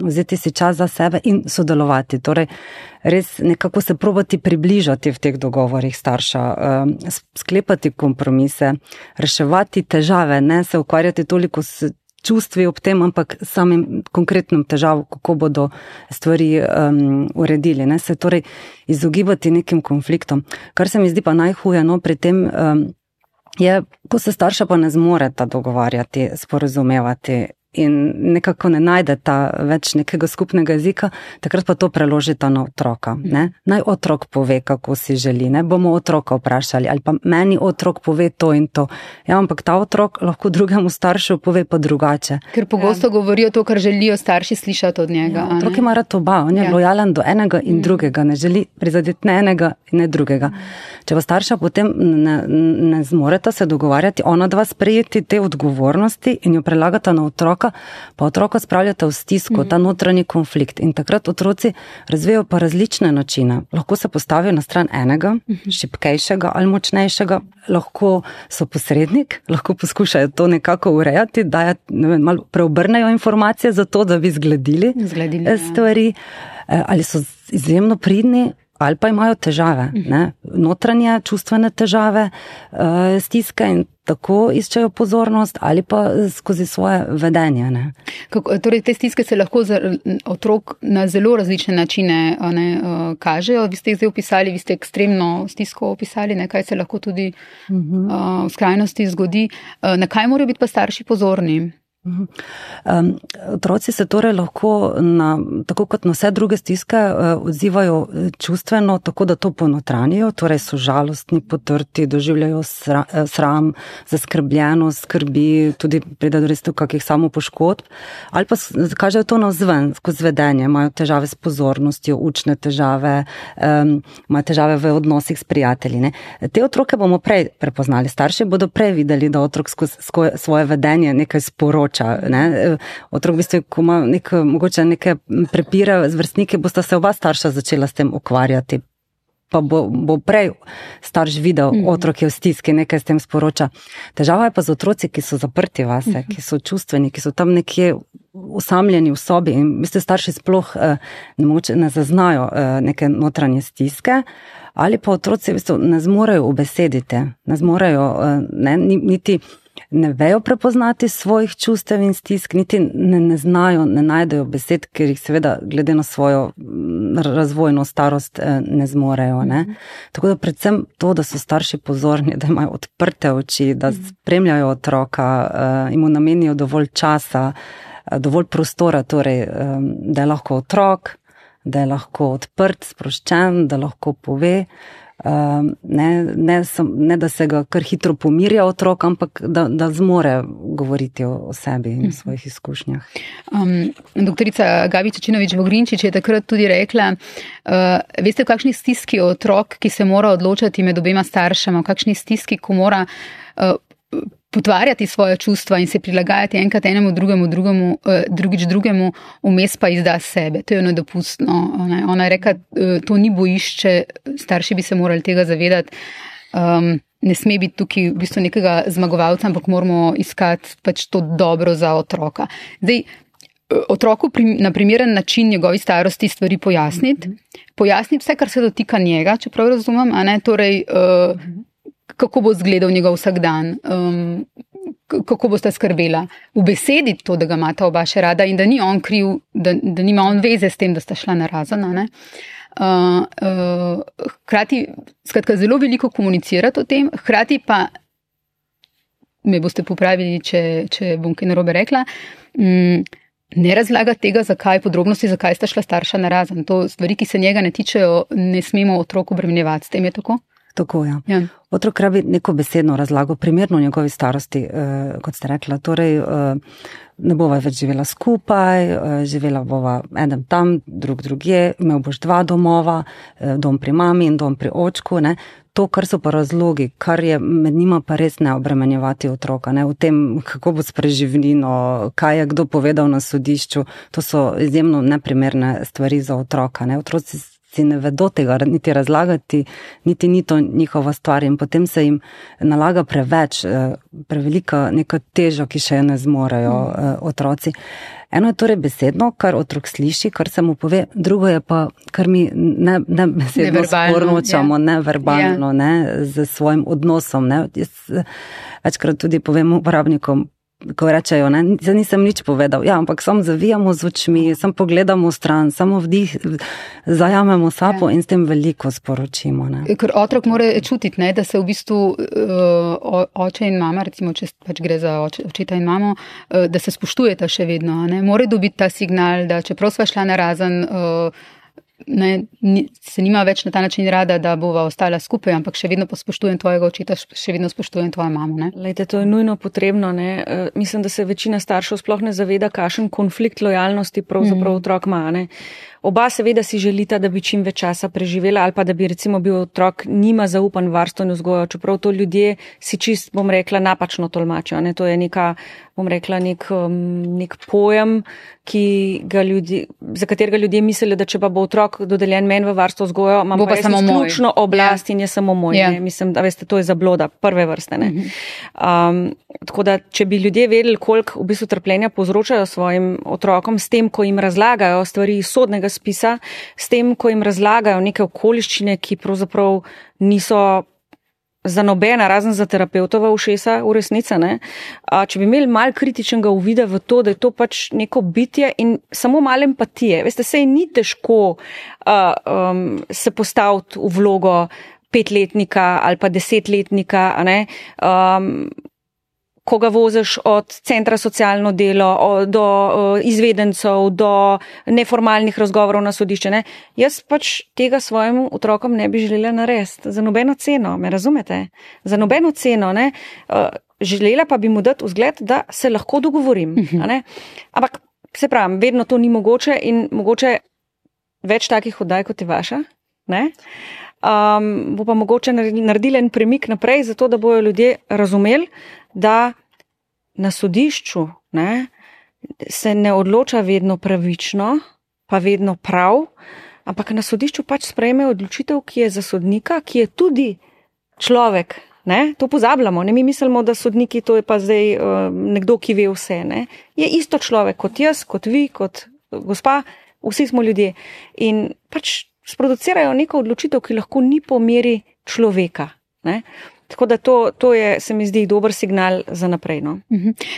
vzeti si čas za sebe in sodelovati. Torej, res nekako se probati približati v teh dogovorih starša, sklepati kompromise, reševati težave, ne se ukvarjati toliko s čustvi ob tem, ampak samim konkretnim težavom, kako bodo stvari uredili. Ne? Se torej izogibati nekim konfliktom. Kar se mi zdi pa najhuje, no, pri tem je, ko se starša pa ne zmoreta dogovarjati, sporazumevati in nekako ne najdeta več nekega skupnega jezika, takrat pa to preložita na otroka. Ne? Naj otrok pove, kako si želi, ne bomo otroka vprašali, ali pa meni otrok pove to in to. Ja, ampak ta otrok lahko drugemu staršu pove pa drugače. Ker pogosto govorijo to, kar želijo starši slišati od njega. Ja, otrok ima rad oba, on je lojalen do enega in drugega, ne želi prizadeti ne enega in ne drugega. Če pa starša potem ne zmoreta se dogovarjati, ona dva sprejeti te odgovornosti in jo prelagata na otroka, pa otroka spravljata v stisko, ta notranji konflikt. In takrat otroci razvijajo pa različne načine. Lahko se postavijo na stran enega, šibkejšega ali močnejšega, lahko so posrednik, lahko poskušajo to nekako urejati, malo preobrnejo informacije za to, da bi zgledili stvari, ali so izjemno pridni, ali pa imajo težave, ne? Notranje čustvene težave, stiske in tako iščejo pozornost ali pa skozi svoje vedenje. Ne? Torej, te stiske se lahko za otrok na zelo različne načine kažejo. Vi ste jih zdaj opisali, vi ste ekstremno stisko opisali, ne? Kaj se lahko tudi v skrajnosti zgodi. Na kaj morajo biti pa starši pozorni? Otroci se torej lahko tako kot na vse druge stiske odzivajo čustveno, tako da to ponotranijo, torej so žalostni, potrti, doživljajo sram, zaskrbljenost, skrbi, tudi pride do res kakih samopoškodb, ali pa kažejo to navzven, skozi vedenje, imajo težave s pozornostjo, učne težave, imajo težave v odnosih s prijatelji. Ne? Te otroke bomo prej prepoznali, starši bodo prej videli, da otrok skozi svoje vedenje nekaj sporoča. Ne? Otrok v bistvu, ko ima mogoče neke prepire z vrstniki, bosta se oba starša začela s tem ukvarjati. Pa bo prej starš videl, otrok je v stiski, nekaj s tem sporoča. Težava je pa z otroci, ki so zaprti vase, ki so čustveni, ki so tam nekje usamljeni v sobi in v bistvu starši sploh ne zaznajo neke notranje stiske, ali pa otroci v bistvu ne zmorejo ubesediti, ne zmorejo niti ne vejo prepoznati svojih čustev in stisk, niti ne znajo, ne najdejo besed, ker jih seveda glede na svojo razvojno starost ne zmorejo. Ne? Tako da predvsem to, da so starši pozorni, da imajo odprte oči, da spremljajo otroka, jim namenijo dovolj časa, dovolj prostora, torej, da je lahko otrok, da je lahko odprt, sproščen, da lahko pove, ne da se ga kar hitro pomirja otrok, ampak da zmore govoriti o sebi in o svojih izkušnjah. Doktorica Gabi Čečinovič-Vogrinčič je takrat tudi rekla, veste, v kakšni stiski je otrok, ki se mora odločati med obema staršema, v kakšni stiski, ko mora potvarjati svoje čustva in se prilagajati enkrat enemu, drugič drugemu, vmes pa izda sebe. To je nedopustno. Ona je rekla, to ni bojišče, starši bi se morali tega zavedati. Ne sme biti tukaj v bistvu nekega zmagovalca, ampak moramo iskati pač to dobro za otroka. Zdaj, otroku na primeren način njegovi starosti stvari pojasniti vse, kar se dotika njega, čeprav razumem, a ne, torej, kako bo izgledal njegov vsakdan, kako boste skrbela, v besedi to, da ga imata oba še rada in da ni on kriv, da nima on veze s tem, da sta šla narazen, a ne. Hkrati, skratka, zelo veliko komunicirati o tem, hkrati pa, me boste popravili, če bom kaj narobe rekla, ne razlaga tega, podrobnosti, zakaj sta šla starša narazen. To stvari, ki se njega ne tičejo, ne smemo otroku obremenjevati. S tem je tako? Tako, ja. Otrok rabi neko besedno razlago, primerno njegovi starosti, kot ste rekla. Torej, ne bova več živela skupaj, živela bova eden tam, drugje, imel boš 2 domova, dom pri mami in dom pri očku, ne. To, kar so pa razlogi, kar je med njima pa res ne obremenjevati otroka, ne, v tem, kako bo s preživnino, kaj je kdo povedal na sodišču, to so izjemno neprimerne stvari za otroka, ne. Otroci si ne vedo tega niti razlagati, niti ni to njihova stvar in potem se jim nalaga prevelika neka teža, ki še ne zmorejo otroci. Eno je torej besedno, kar otrok sliši, kar se mu pove, drugo je pa, kar mi ne besedno sporočamo, neverbalno, z svojim odnosom. Ne. Jaz večkrat tudi povem uporabnikom, ko rečejo, zdaj nisem nič povedal, ampak samo zavijamo z očmi, samo pogledamo stran, samo vdih, zajamemo sapo in s tem veliko sporočimo. Ne. Ker otrok mora čutiti, da se v bistvu oče in mama, recimo, če pač gre za očeta in mamo, da se spoštujeta še vedno. Ne. Mora dobiti ta signal, da čeprav sva šla narazen, se nima več na ta način rada, da bova ostala skupaj, ampak še vedno pa spoštujem tvojega očeta, še vedno spoštujem tvojo mamo. Ne? Lejte, to je nujno potrebno. Ne? Mislim, da se večina staršev sploh ne zaveda, kakšen konflikt lojalnosti pravzaprav otrok ima. Ne? Oba seveda si želita, da bi čim več časa preživela ali pa da bi recimo bil otrok nima zaupan varstveno vzgojo, čeprav to ljudje si čist, bom rekla, napačno tolmačijo. Ne? To je neka, bom rekla, nek pojem, za katerega ljudje mislijo, da če pa bo otrok dodeljen meni v varstvo vzgojo, imam pa res izključno oblast in je samo moj. Ne? Mislim, da veste, to je zabloda prve vrste. Ne? Tako da, če bi ljudje vedeli, koliko v bistvu trpljenja povzročajo svojim otrokom s tem, ko jim razlagajo stvari iz sodnega spisa, s tem, ko jim razlagajo neke okoliščine, ki pravzaprav niso za nobena, razen za terapeutova ušesa v resnica, ne? Če bi imeli malo kritičnega uvida v to, da je to pač neko bitje in samo malo empatije. Veste, sej ni težko se postaviti v vlogo 5-letnika ali pa 10-letnika, ne? Ko ga voziš od centra socialno delo do izvedencev, do neformalnih razgovorov na sodišče. Ne? Jaz pač tega svojim otrokom ne bi želela narediti. Za nobeno ceno, me razumete? Za nobeno ceno. Ne? Želela pa bi mu dati vzgled, da se lahko dogovorim. Ne? Ampak, se pravim, vedno to ni mogoče in mogoče več takih oddaj, kot je vaša. Ne? Bo pa mogoče naredili en premik naprej, zato da bojo ljudje razumeli, da na sodišču se ne odloča vedno pravično, pa vedno prav, ampak na sodišču pač sprejme odločitev, ki je za sodnika, ki je tudi človek. Ne? To pozabljamo. Ne? Mi mislimo, da sodniki to je pa zdaj nekdo, ki ve vse. Ne? Je isto človek kot jaz, kot vi, kot gospa, vsi smo ljudje. In pač sproducirajo neko odločitev, ki lahko ni po meri človeka. Ne? Tako da to je, se mi zdi, dober signal za naprej. No?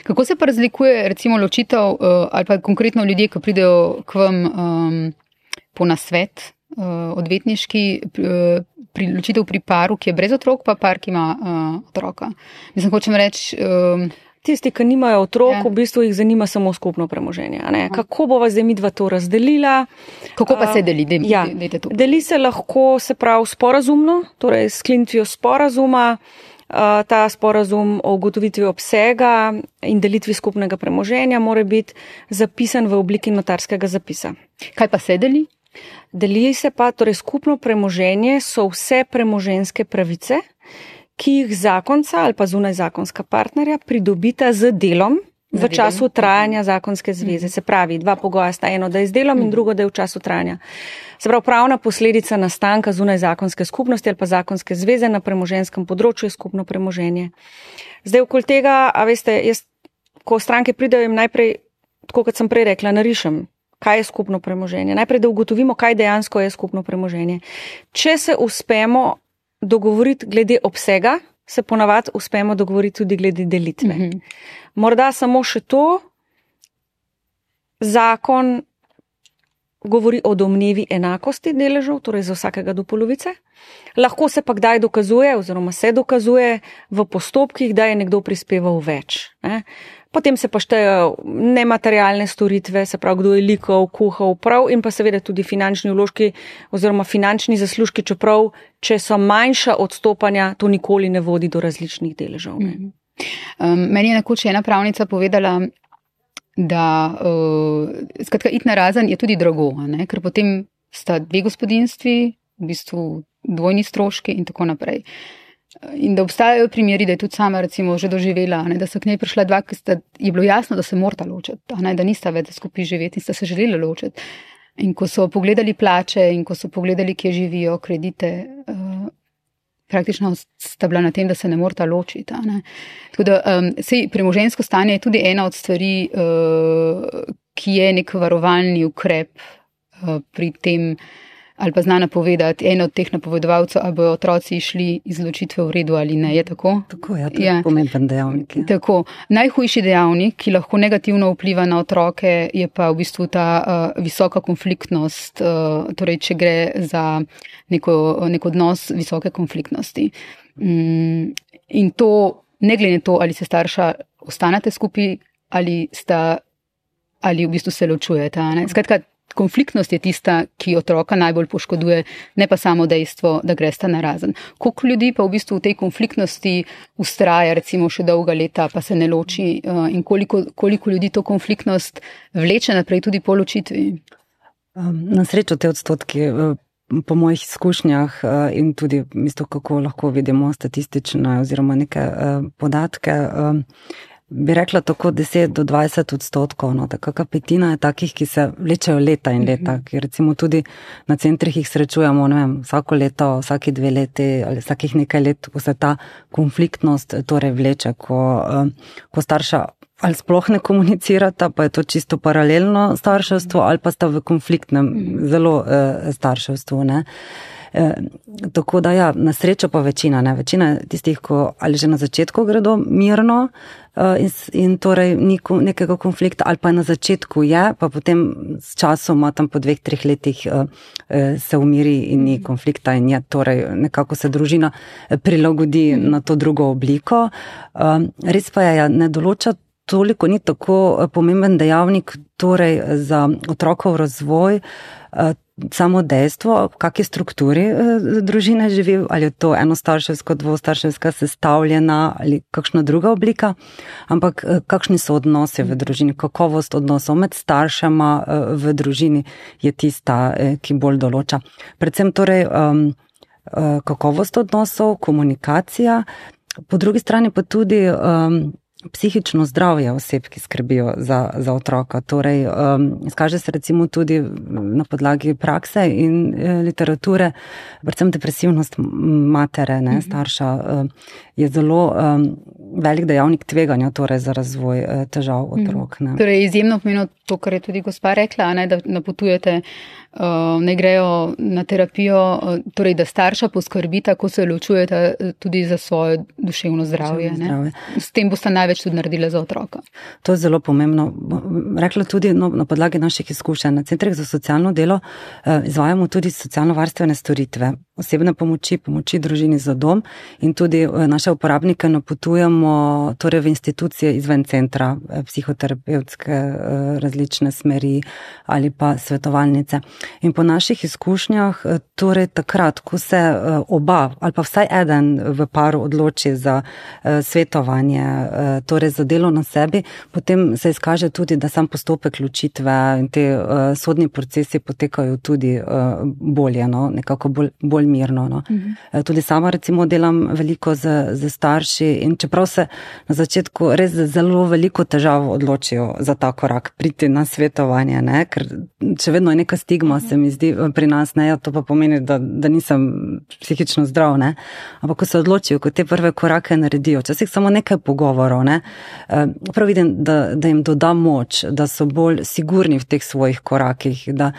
Kako se pa razlikuje recimo ločitev ali pa konkretno ljudje, ki pridejo k vam po nasvet odvetniški, ločitev pri paru, ki je brez otrok, pa par, ki ima otroka? Mislim, hočem reči... Tisti, ki nimajo otrok, v bistvu jih zanima samo skupno premoženje. Kako bova zdaj midva to razdelila? Kako pa se deli? Deli se lahko, se pravi, sporazumno, torej s sklenitvijo sporazuma. Ta sporazum o ugotovitvi obsega in delitvi skupnega premoženja mora biti zapisan v obliki notarskega zapisa. Kaj pa se deli? Deli se pa, torej skupno premoženje so vse premoženjske pravice, ki jih zakonca ali pa zunaj zakonska partnerja pridobita z delom v času trajanja zakonske zveze. Se pravi, 2 pogoja sta, eno, da je z delom in drugo, da je v času trajanja. Se pravi, pravna posledica nastanka zunaj zakonske skupnosti ali pa zakonske zveze na premoženjskem področju je skupno premoženje. Zdaj, okoli tega, a veste, ko stranke pridejo, jim najprej tako kot sem prej rekla, narišem, kaj je skupno premoženje. Najprej, da ugotovimo, kaj dejansko je skupno premoženje. Če se uspemo dogovoriti glede obsega, se ponavadi uspemo dogovoriti tudi glede delitve. Morda samo še to, zakon govori o domnevi enakosti deležev, torej za vsakega do polovice. Lahko se pa kdaj dokazuje, oziroma se dokazuje v postopkih, da je nekdo prispeval več. Ne? Potem se pa štejejo nematerialne storitve, se pravi, kdo je likal, kuhal, prav, in pa seveda tudi finančni vložki oziroma finančni zaslužki, čeprav, če so manjša odstopanja, to nikoli ne vodi do različnih deležev. Meni je nekoč ena pravnica povedala, da skratka, iti na razen je tudi drago, ne? Ker potem sta dve gospodinjstvi, v bistvu dvojni stroški in tako naprej. In da obstajajo primeri, da je tudi sama recimo že doživela, ne? Da so k njej prišla dva, ki je bilo jasno, da se morata ločiti, ne? Da nista več skupaj živeti in sta se želela ločiti. In ko so pogledali plače in ko so pogledali, kje živijo, kredite, praktično sta bila na tem, da se ne morata ločiti. Ne? Tako da premoženjsko stanje je tudi ena od stvari, ki je nek varovalni ukrep pri tem, ali pa zna napovedati, en od teh napovedovalcev, ali bojo otroci išli iz ločitve v redu ali ne, je tako? Tako, ja, to je pomemben dejavnik. Ja. Tako. Najhujši dejavnik, ki lahko negativno vpliva na otroke, je pa v bistvu ta visoka konfliktnost, torej če gre za nek odnos visoke konfliktnosti. In to, ne glede na to, ali se starša ostanete skupaj, ali v bistvu se ločujete. Skratka, konfliktnost je tista, ki otroka najbolj poškoduje, ne pa samo dejstvo, da gresta na razen. Koliko ljudi pa v bistvu v tej konfliktnosti ustraja, recimo še dolga leta, pa se ne loči, in koliko ljudi to konfliktnost vleče naprej tudi po ločitvi? Na srečo te odstotki, po mojih izkušnjah in tudi kako lahko vidimo statistične oziroma neke podatke, bi rekla tako 10 do 20 odstotkov, no, taka petina je takih, ki se vlečejo leta in leta, ki recimo tudi na centrih jih srečujemo, ne vem, vsako leto, vsaki 2 leti ali vsakih nekaj let, ko se ta konfliktnost torej vleče, ko starša ali sploh ne komunicirata, pa je to čisto paralelno starševstvo, ali pa sta v konfliktnem zelo starševstvu, ne. Tako da ja, na srečo pa večina tistih, ko ali že na začetku gredo mirno in torej ni nekega konflikta, ali pa na začetku je, pa potem s časoma tam po 2-3 letih se umiri in ni konflikta in je torej nekako se družina prilagodi na to drugo obliko. Res pa je, ne določa toliko, ni tako pomemben dejavnik torej za otrokov razvoj, samo dejstvo, v kakšni strukturi družine živi, ali je to enostarševsko, dvostarševska sestavljena ali kakšna druga oblika, ampak kakšni so odnosi v družini, kakovost odnosov med staršema v družini je tista, ki bolj določa. Predvsem torej kakovost odnosov, komunikacija, po drugi strani pa tudi psihično zdravje oseb, ki skrbijo za otroka. Torej, izkaže se recimo tudi na podlagi prakse in literature, predvsem depresivnost matere, ne, starša, je zelo velik dejavnik tveganja torej za razvoj težav otrok. Ne. Torej, izjemno pomeni to, kar je tudi gospa rekla, ne, da napotujete, ne grejo na terapijo, torej, da starša poskrbita, ko se ločujete, tudi za svoje duševno zdravje. Ne. S tem boste največ tudi naredila za otroka. To je zelo pomembno. Rekla tudi na podlagi naših izkušenj. Na centrih za socialno delo izvajamo tudi socialno-varstvene storitve, osebne pomoči družini za dom in tudi naše uporabnike napotujemo torej v institucije izven centra, psihoterapevtske različne smeri ali pa svetovalnice. In po naših izkušnjah, torej takrat, ko se oba ali pa vsaj eden v paru odloči za svetovanje, torej za delo na sebi, potem se izkaže tudi, da sam postopek ločitve in te sodni procesi potekajo tudi bolje, no? Nekako bolj mirno. No. Tudi sama recimo delam veliko z starši in čeprav se na začetku res zelo veliko težav odločijo za ta korak, priti na svetovanje, ne, ker še vedno je neka stigma, se mi zdi pri nas, ne, to pa pomeni, da nisem psihično zdrav, ne, ampak ko se odločijo, ko te prve korake naredijo, včasih samo nekaj pogovorov, ne, prav vidim, da jim doda moč, da so bolj sigurni v teh svojih korakih, da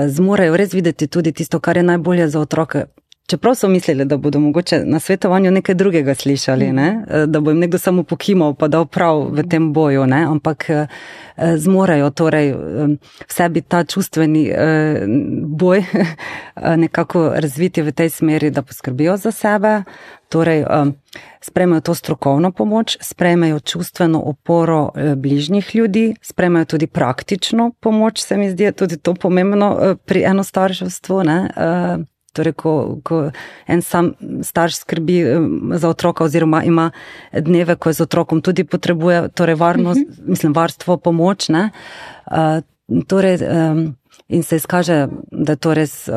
zmorejo res videti tudi tisto, kar je najbolje za otroke. Čeprav so mislili, da bodo mogoče na svetovanju nekaj drugega slišali, ne? Da bo jim nekdo samo pokimal pa dal prav v tem boju, ne? Ampak zmorejo torej v sebi ta čustveni boj nekako razviti v tej smeri, da poskrbijo za sebe, torej sprejmejo to strokovno pomoč, sprejmejo čustveno oporo bližnjih ljudi, sprejmejo tudi praktično pomoč, se mi zdi tudi to pomembno pri enostarševstvu, ne? Torej, ko en sam starš skrbi za otroka oziroma ima dneve, ko z otrokom tudi potrebuje torej varstvo, pomoč, ne? Torej, in se izkaže, da je to res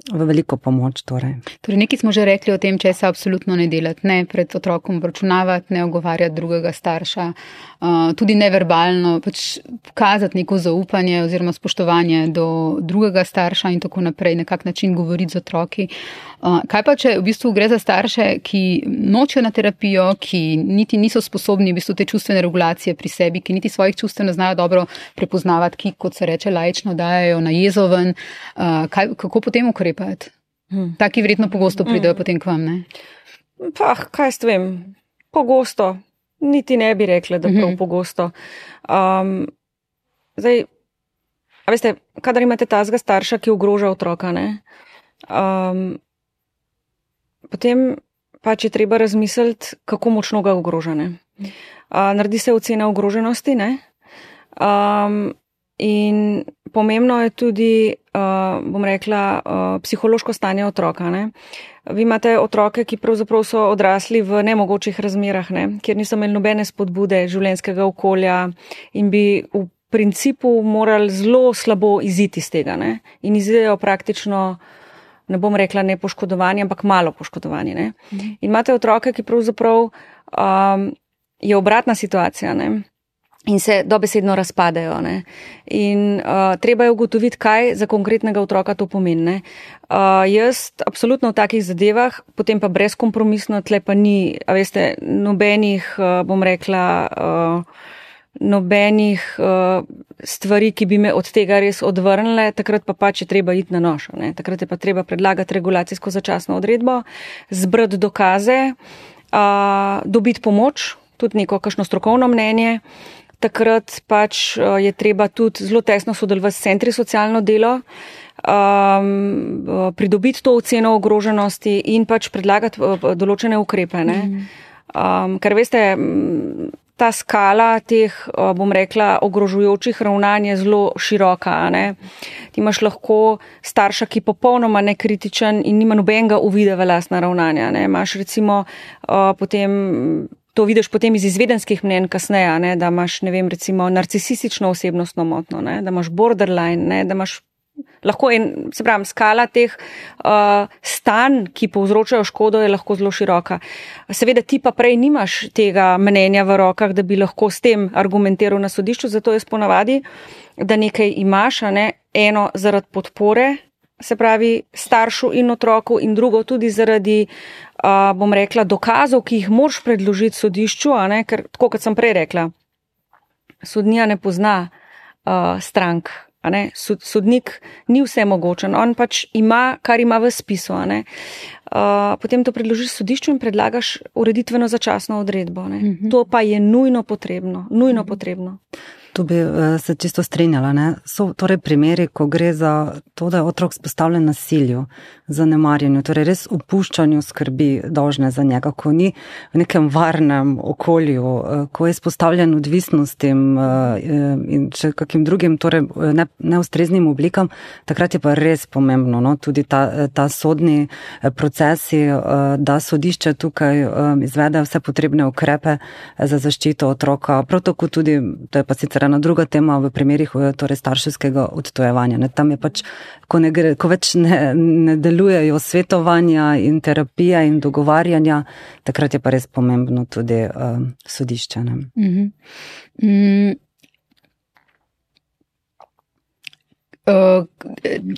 v veliko pomoč. Torej, nekaj smo že rekli o tem, če se absolutno ne delati, ne pred otrokom obračunavati, ne ogovarjati drugega starša, tudi neverbalno, pač pokazati neko zaupanje oziroma spoštovanje do drugega starša in tako naprej, na kak način govoriti z otroki. Kaj pa, če v bistvu gre za starše, ki nočejo na terapijo, ki niti niso sposobni v bistvu te čustvene regulacije pri sebi, ki niti svojih čustev ne znajo dobro prepoznavati, ki, kot se reče, laično dajajo na jezo ven, kako potem ukrepati? Taki verjetno pogosto pridejo potem k vam, ne? Kaj s tem? Pogosto. Niti ne bi rekla, da prav pogosto. Zdaj, a veste, kadar imate tazga starša, ki ogroža otroka, ne? Potem pač je treba razmisliti, kako močno ga ogroža, ne? Naredi se ocena ogroženosti, ne? In pomembno je tudi, bom rekla, psihološko stanje otroka, ne? Vi imate otroke, ki pravzaprav so odrasli v nemogočih razmerah, ne? Kjer niso imeli nobene spodbude življenjskega okolja in bi v principu morali zelo slabo iziti iz tega, ne? In izidejo praktično, ne bom rekla nepoškodovani, ampak malo poškodovani, ne? In imate otroke, ki pravzaprav je obratna situacija, ne? In se dobesedno razpadejo, ne? In treba je ugotoviti, kaj za konkretnega otroka to pomeni, ne? Jaz absolutno v takih zadevah, potem pa brezkompromisno, tle pa ni, a veste, nobenih, bom rekla, nobenih stvari, ki bi me od tega res odvrnile, takrat pa pač je treba iti na nož, ne? Takrat je pa treba predlagati regulacijsko začasno odredbo, zbrati dokaze, dobiti pomoč, tudi neko kakšno strokovno mnenje. Takrat pač je treba tudi zelo tesno sodelovati s centri socialno delo, pridobiti to oceno ogroženosti in pač predlagati določene ukrepe, ne? Ker veste, ta skala teh, bom rekla, ogrožujočih ravnanj je zelo široka, ne? Ti imaš lahko starša, ki popolnoma nekritičen in nima nobenega uvida v lastna ravnanja, ne? Imaš recimo potem, to vidiš potem iz izvedenskih mnenj kasneje, ne? Da imaš, ne vem, recimo narcisistično osebnostno motnjo, ne? Da imaš borderline, ne? Da imaš lahko se pravim, skala teh stanj, ki povzročajo škodo, je lahko zelo široka. Seveda ti pa prej nimaš tega mnenja v rokah, da bi lahko s tem argumentiral na sodišču, zato jaz ponavadi, da nekaj imaš, a ne, eno zaradi podpore, se pravi staršu in otroku, in drugo tudi zaradi, bom rekla, dokazov, ki jih moraš predložiti sodišču, a ne, ker tako kot sem prej rekla, sodnija ne pozna strank. A ne, sodnik ni vse mogočen, on pač ima, kar ima v spisu, a ne. Potem to predložiš sodišču in predlagaš ureditveno začasno odredbo, ne. To pa je nujno potrebno, nujno potrebno. Tu bi se čisto strinjala, ne. So torej primeri, ko gre za to, da je otrok izpostavljen nasilju, zanemarjanju, torej res opuščanju skrbi dolžne za njega, ko ni v nekem varnem okolju, ko je izpostavljen odvisnostim in še kakim drugim, torej neustreznim oblikam, takrat je pa res pomembno, no, tudi ta sodni procesi, da sodišče tukaj izvede vse potrebne ukrepe za zaščito otroka, prav tako tudi, to je pa sicer ena druga tema v primerih torej starševskega odtojevanja. Ne. Tam je pač, ko več ne delujejo svetovanja in terapija in dogovarjanja, takrat je pa res pomembno tudi sodišče. Ne.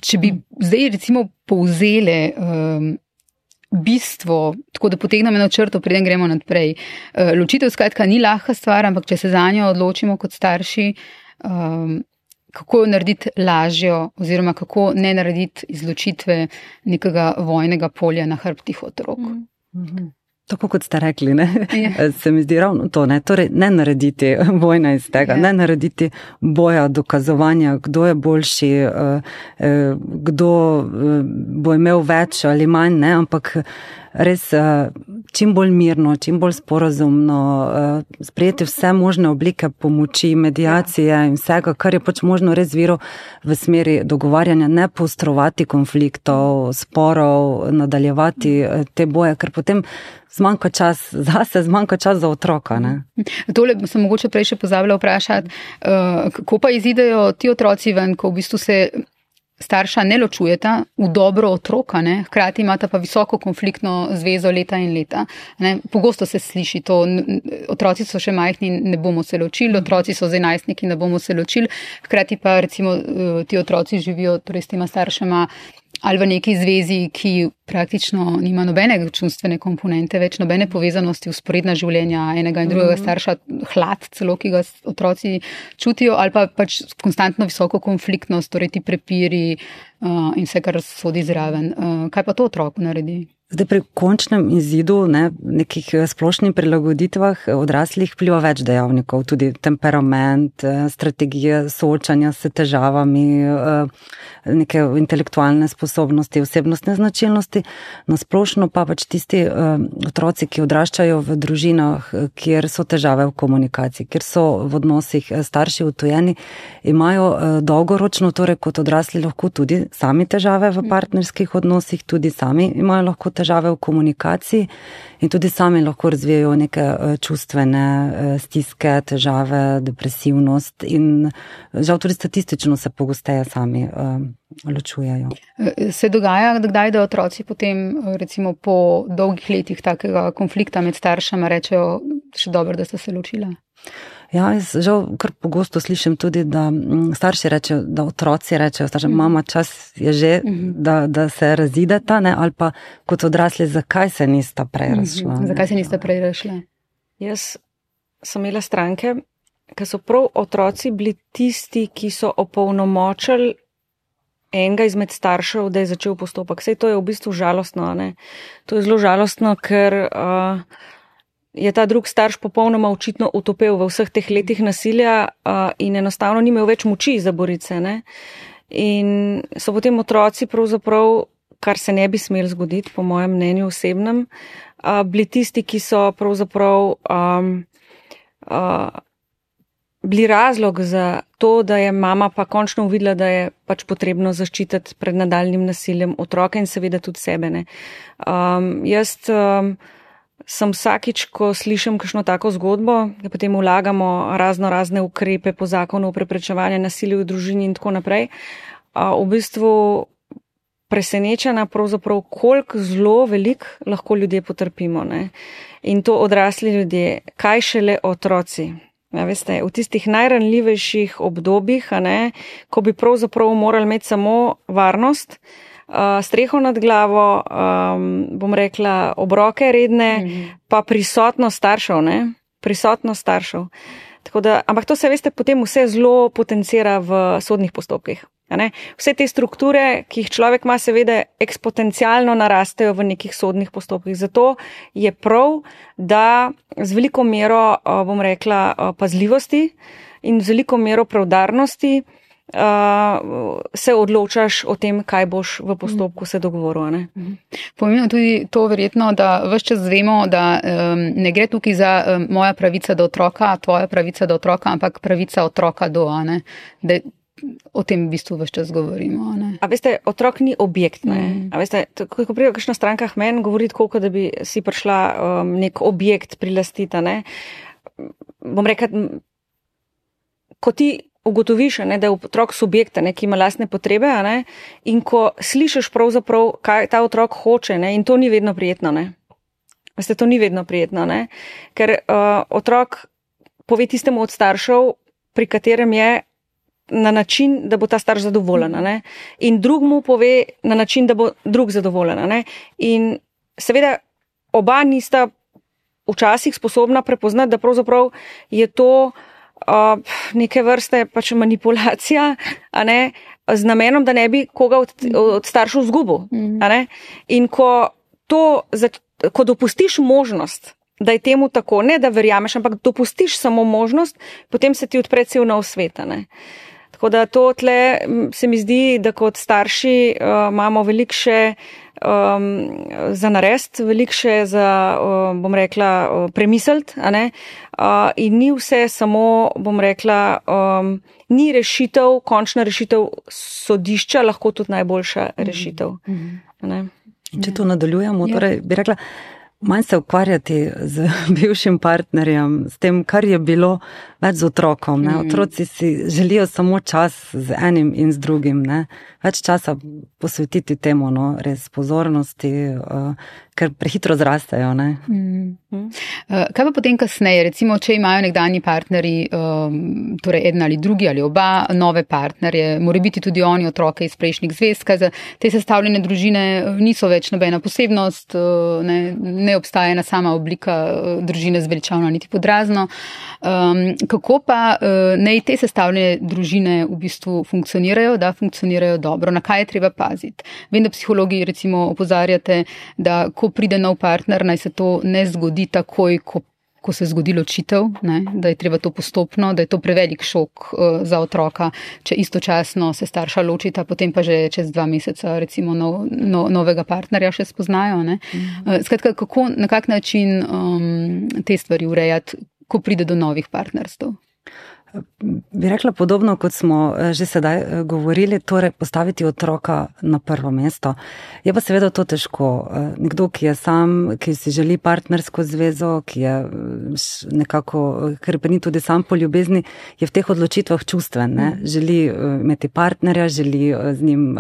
Če bi zdaj recimo povzele bistvo, tako da potegnemo eno črto, preden gremo naprej. Ločitev skratka ni lahka stvar, ampak če se za njo odločimo kot starši, kako jo narediti lažjo oziroma kako ne narediti izločitve nekega vojnega polja na hrbtih otrok. Tako kot ste rekli, ne? Se mi zdi ravno to, ne? Torej ne narediti vojna iz tega, ne narediti boja, dokazovanja, kdo je boljši, kdo bo imel več ali manj, ne? Ampak res čim bolj mirno, čim bolj sporazumno, sprejeti vse možne oblike pomoči, medijacije in vsega, kar je pač možno res viro v smeri dogovarjanja, ne poostrovati konfliktov, sporov, nadaljevati te boje, ker potem zmanjka čas zase, zmanjka čas za otroka. Ne? Tole sem mogoče prej še pozabila vprašati, kako pa izidejo ti otroci ven, ko v bistvu se starša ne ločujeta v dobro otroka, ne? Hkrati imata pa visoko konfliktno zvezo leta in leta. Ne? Pogosto se sliši to, otroci so še majhni, ne bomo se ločili, otroci so zdaj najstniki, ne bomo se ločili, hkrati pa recimo ti otroci živijo torej s tema staršema ali v neki zvezi, ki praktično nima nobene čustvene komponente, več nobene povezanosti, vzporedna življenja enega in drugega starša, hlad celo, ki ga otroci čutijo, ali pa pač konstantno visoko konfliktnost, torej ti prepiri in vse, kar sodi zraven. Kaj pa to otroku naredi? Zdaj pri končnem izidu, nekih splošnih prilagoditvah odraslih vpliva več dejavnikov, tudi temperament, strategije soočanja s težavami, neke intelektualne sposobnosti, osebnostne značilnosti. Na splošno pa pač tisti otroci, ki odraščajo v družinah, kjer so težave v komunikaciji, kjer so v odnosih starši odtujeni, imajo dolgoročno, torej kot odrasli lahko tudi sami težave v partnerskih odnosih, tudi sami imajo lahko težave v komunikaciji in tudi sami lahko razvijajo neke čustvene stiske, težave, depresivnost in žal tudi statistično se pogosteje sami ločujejo. Se dogaja, kdaj, da otroci potem recimo po dolgih letih takega konflikta med staršama rečejo, še dobro, da sta se ločila? Ja, jaz žal kar pogosto slišim tudi, da starši rečejo, da otroci rečejo, mama, čas je že, da se razideta, ne, ali pa kot odrasli, zakaj se nista prej razšla. Zakaj se nista prej razšla? Jaz sem imela stranke, ki so prav otroci bili tisti, ki so opolnomočili enega izmed staršev, da je začel postopek. Sej to je v bistvu žalostno, ne? To je zelo žalostno, ker je ta drug starš popolnoma očitno utopel v vseh teh letih nasilja in enostavno ni imel več moči za borice. Ne? In so potem otroci pravzaprav, kar se ne bi smeli zgoditi, po mojem mnenju osebnem, bili tisti, ki so pravzaprav bili razlog za to, da je mama pa končno uvidela, da je pač potrebno zaščititi pred nadaljnim nasiljem otroka in seveda tudi sebe. Ne? Jaz sem vsakič, ko slišim kakšno tako zgodbo, da potem vlagamo razne ukrepe po zakonu o preprečevanju nasilja v družini in tako naprej, v bistvu presenečena pravzaprav, koliko zelo veliko lahko ljudje potrpimo. Ne? In to odrasli ljudje, kaj šele otroci. Ja, veste, v tistih najranljivejših obdobjih, ko bi pravzaprav morali imeti samo varnost, streho nad glavo, bom rekla, obroke redne, pa prisotnost staršev, ne? Prisotnost staršev. Tako da, ampak to se, veste, potem vse zelo potencira v sodnih postopkih. Vse te strukture, ki jih človek ima, seveda eksponencialno narastejo v nekih sodnih postopkih. Zato je prav, da z veliko mero, bom rekla, pazljivosti in z veliko mero preudarnosti se odločaš o tem, kaj boš v postopku se dogovoril. Pomembno tudi to verjetno, da ves čas vemo, da ne gre tukaj za moja pravica do otroka, tvoja pravica do otroka, ampak pravica otroka do, da o tem v bistvu ves čas govorimo. A veste, otrok ni objekt. A veste, ko pride kakšna stranka k meni govoriti, koliko da bi si prišla nek objekt prilastiti, bom rekla, ko ti ugotoviš, da je otrok subjekt, ki ima lastne potrebe, in ko slišiš pravzaprav, kaj ta otrok hoče, in to ni vedno prijetno. Veste, to ni vedno prijetno, ker otrok pove tistemu od staršev, pri katerem je na način, da bo ta starš zadovoljen, in drug mu pove na način, da bo drug zadovoljen. In seveda oba nista včasih sposobna prepoznati, da pravzaprav je to neke vrste pač manipulacija, z namenom, da ne bi koga od staršev zgubil. In ko dopustiš možnost, da je temu tako, ne da verjameš, ampak dopustiš samo možnost, potem se ti odpre cel nov svet. Tako da to tle se mi zdi, da kot starši imamo veliko še za narediti, veliko še za, bom rekla, premisliti, in ni vse samo, bom rekla, ni rešitev, končna rešitev sodišča, lahko tudi najboljša rešitev. Če to nadaljujemo, torej bi rekla, manj se ukvarjati z bivšim partnerjem, s tem, kar je bilo, več z otrokom. Otroci si želijo samo čas z enim in z drugim. Več časa posvetiti temu, res pozornosti, ker prehitro zrastejo. Kaj pa potem kasneje? Recimo, če imajo nekdanji partnerji, torej eden ali drugi ali oba, nove partnerje, mora biti tudi oni otroke iz prejšnjih zvez, kaj za te sestavljene družine niso več nobena posebnost, ne obstaja ena sama oblika družine zveličavna niti podrazno. Kako pa naj te sestavljene družine v bistvu funkcionirajo, da funkcionirajo dobro? Na kaj je treba paziti? Vem, da psihologi recimo opozarjate, da ko pride nov partner, naj se to ne zgodi takoj, ko se zgodi ločitev, da je treba to postopno, da je to prevelik šok za otroka, če istočasno se starša ločita, potem pa že čez 2 meseca recimo novega partnerja še spoznajo. Skratka, na kak način te stvari urejati, ko pride do novih partnerstv? Bi rekla podobno, kot smo že sedaj govorili, torej postaviti otroka na prvo mesto. Je pa seveda to težko. Nekdo, ki je sam, ki si želi partnersko zvezo, ki je nekako krepeni tudi sam po ljubezni, je v teh odločitvah čustven. Želi imeti partnerja, želi z njim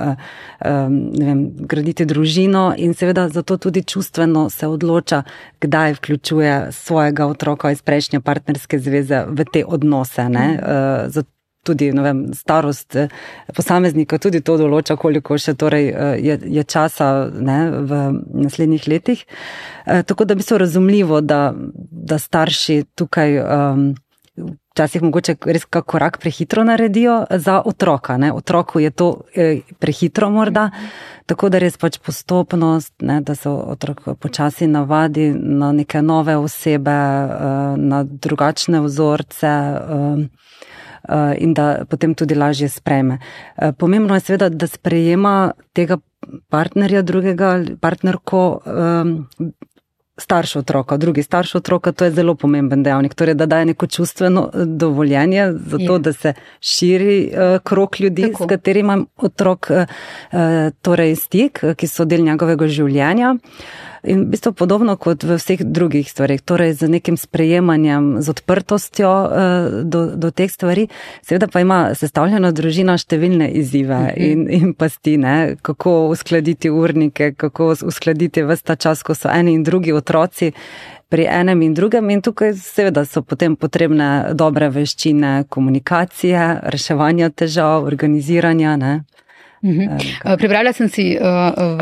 graditi družino in seveda zato tudi čustveno se odloča, kdaj vključuje svojega otroka iz prejšnje partnerske zveze v te odnose. Tudi starost posameznika tudi to določa, koliko še torej je časa v naslednjih letih. Tako da bi se razumljivo, da starši tukaj včasih mogoče res kak korak prehitro naredijo za otroka. Otroku je to prehitro morda, tako da res pač postopnost, da se otrok počasi navadi na neke nove osebe, na drugačne vzorce, in da potem tudi lažje sprejme. Pomembno je seveda, da sprejema tega partnerja drugega, partnerko, starš otroka, drugi starš otroka, to je zelo pomemben dejavnik, torej da daje neko čustveno dovoljenje za to, da se širi krog ljudi, s katerima otrok torej stik, ki so del njegovega življenja. In v bistvu podobno kot v vseh drugih stvarih, torej z nekim sprejemanjem, z odprtostjo do teh stvari. Seveda pa ima sestavljena družina številne izzive in pasti, kako uskladiti urnike, kako uskladiti ves ta čas, ko so eni in drugi otroci pri enem in drugem, in tukaj seveda so potem potrebne dobre veščine komunikacije, reševanja težav, organiziranja, Prebrala sem si v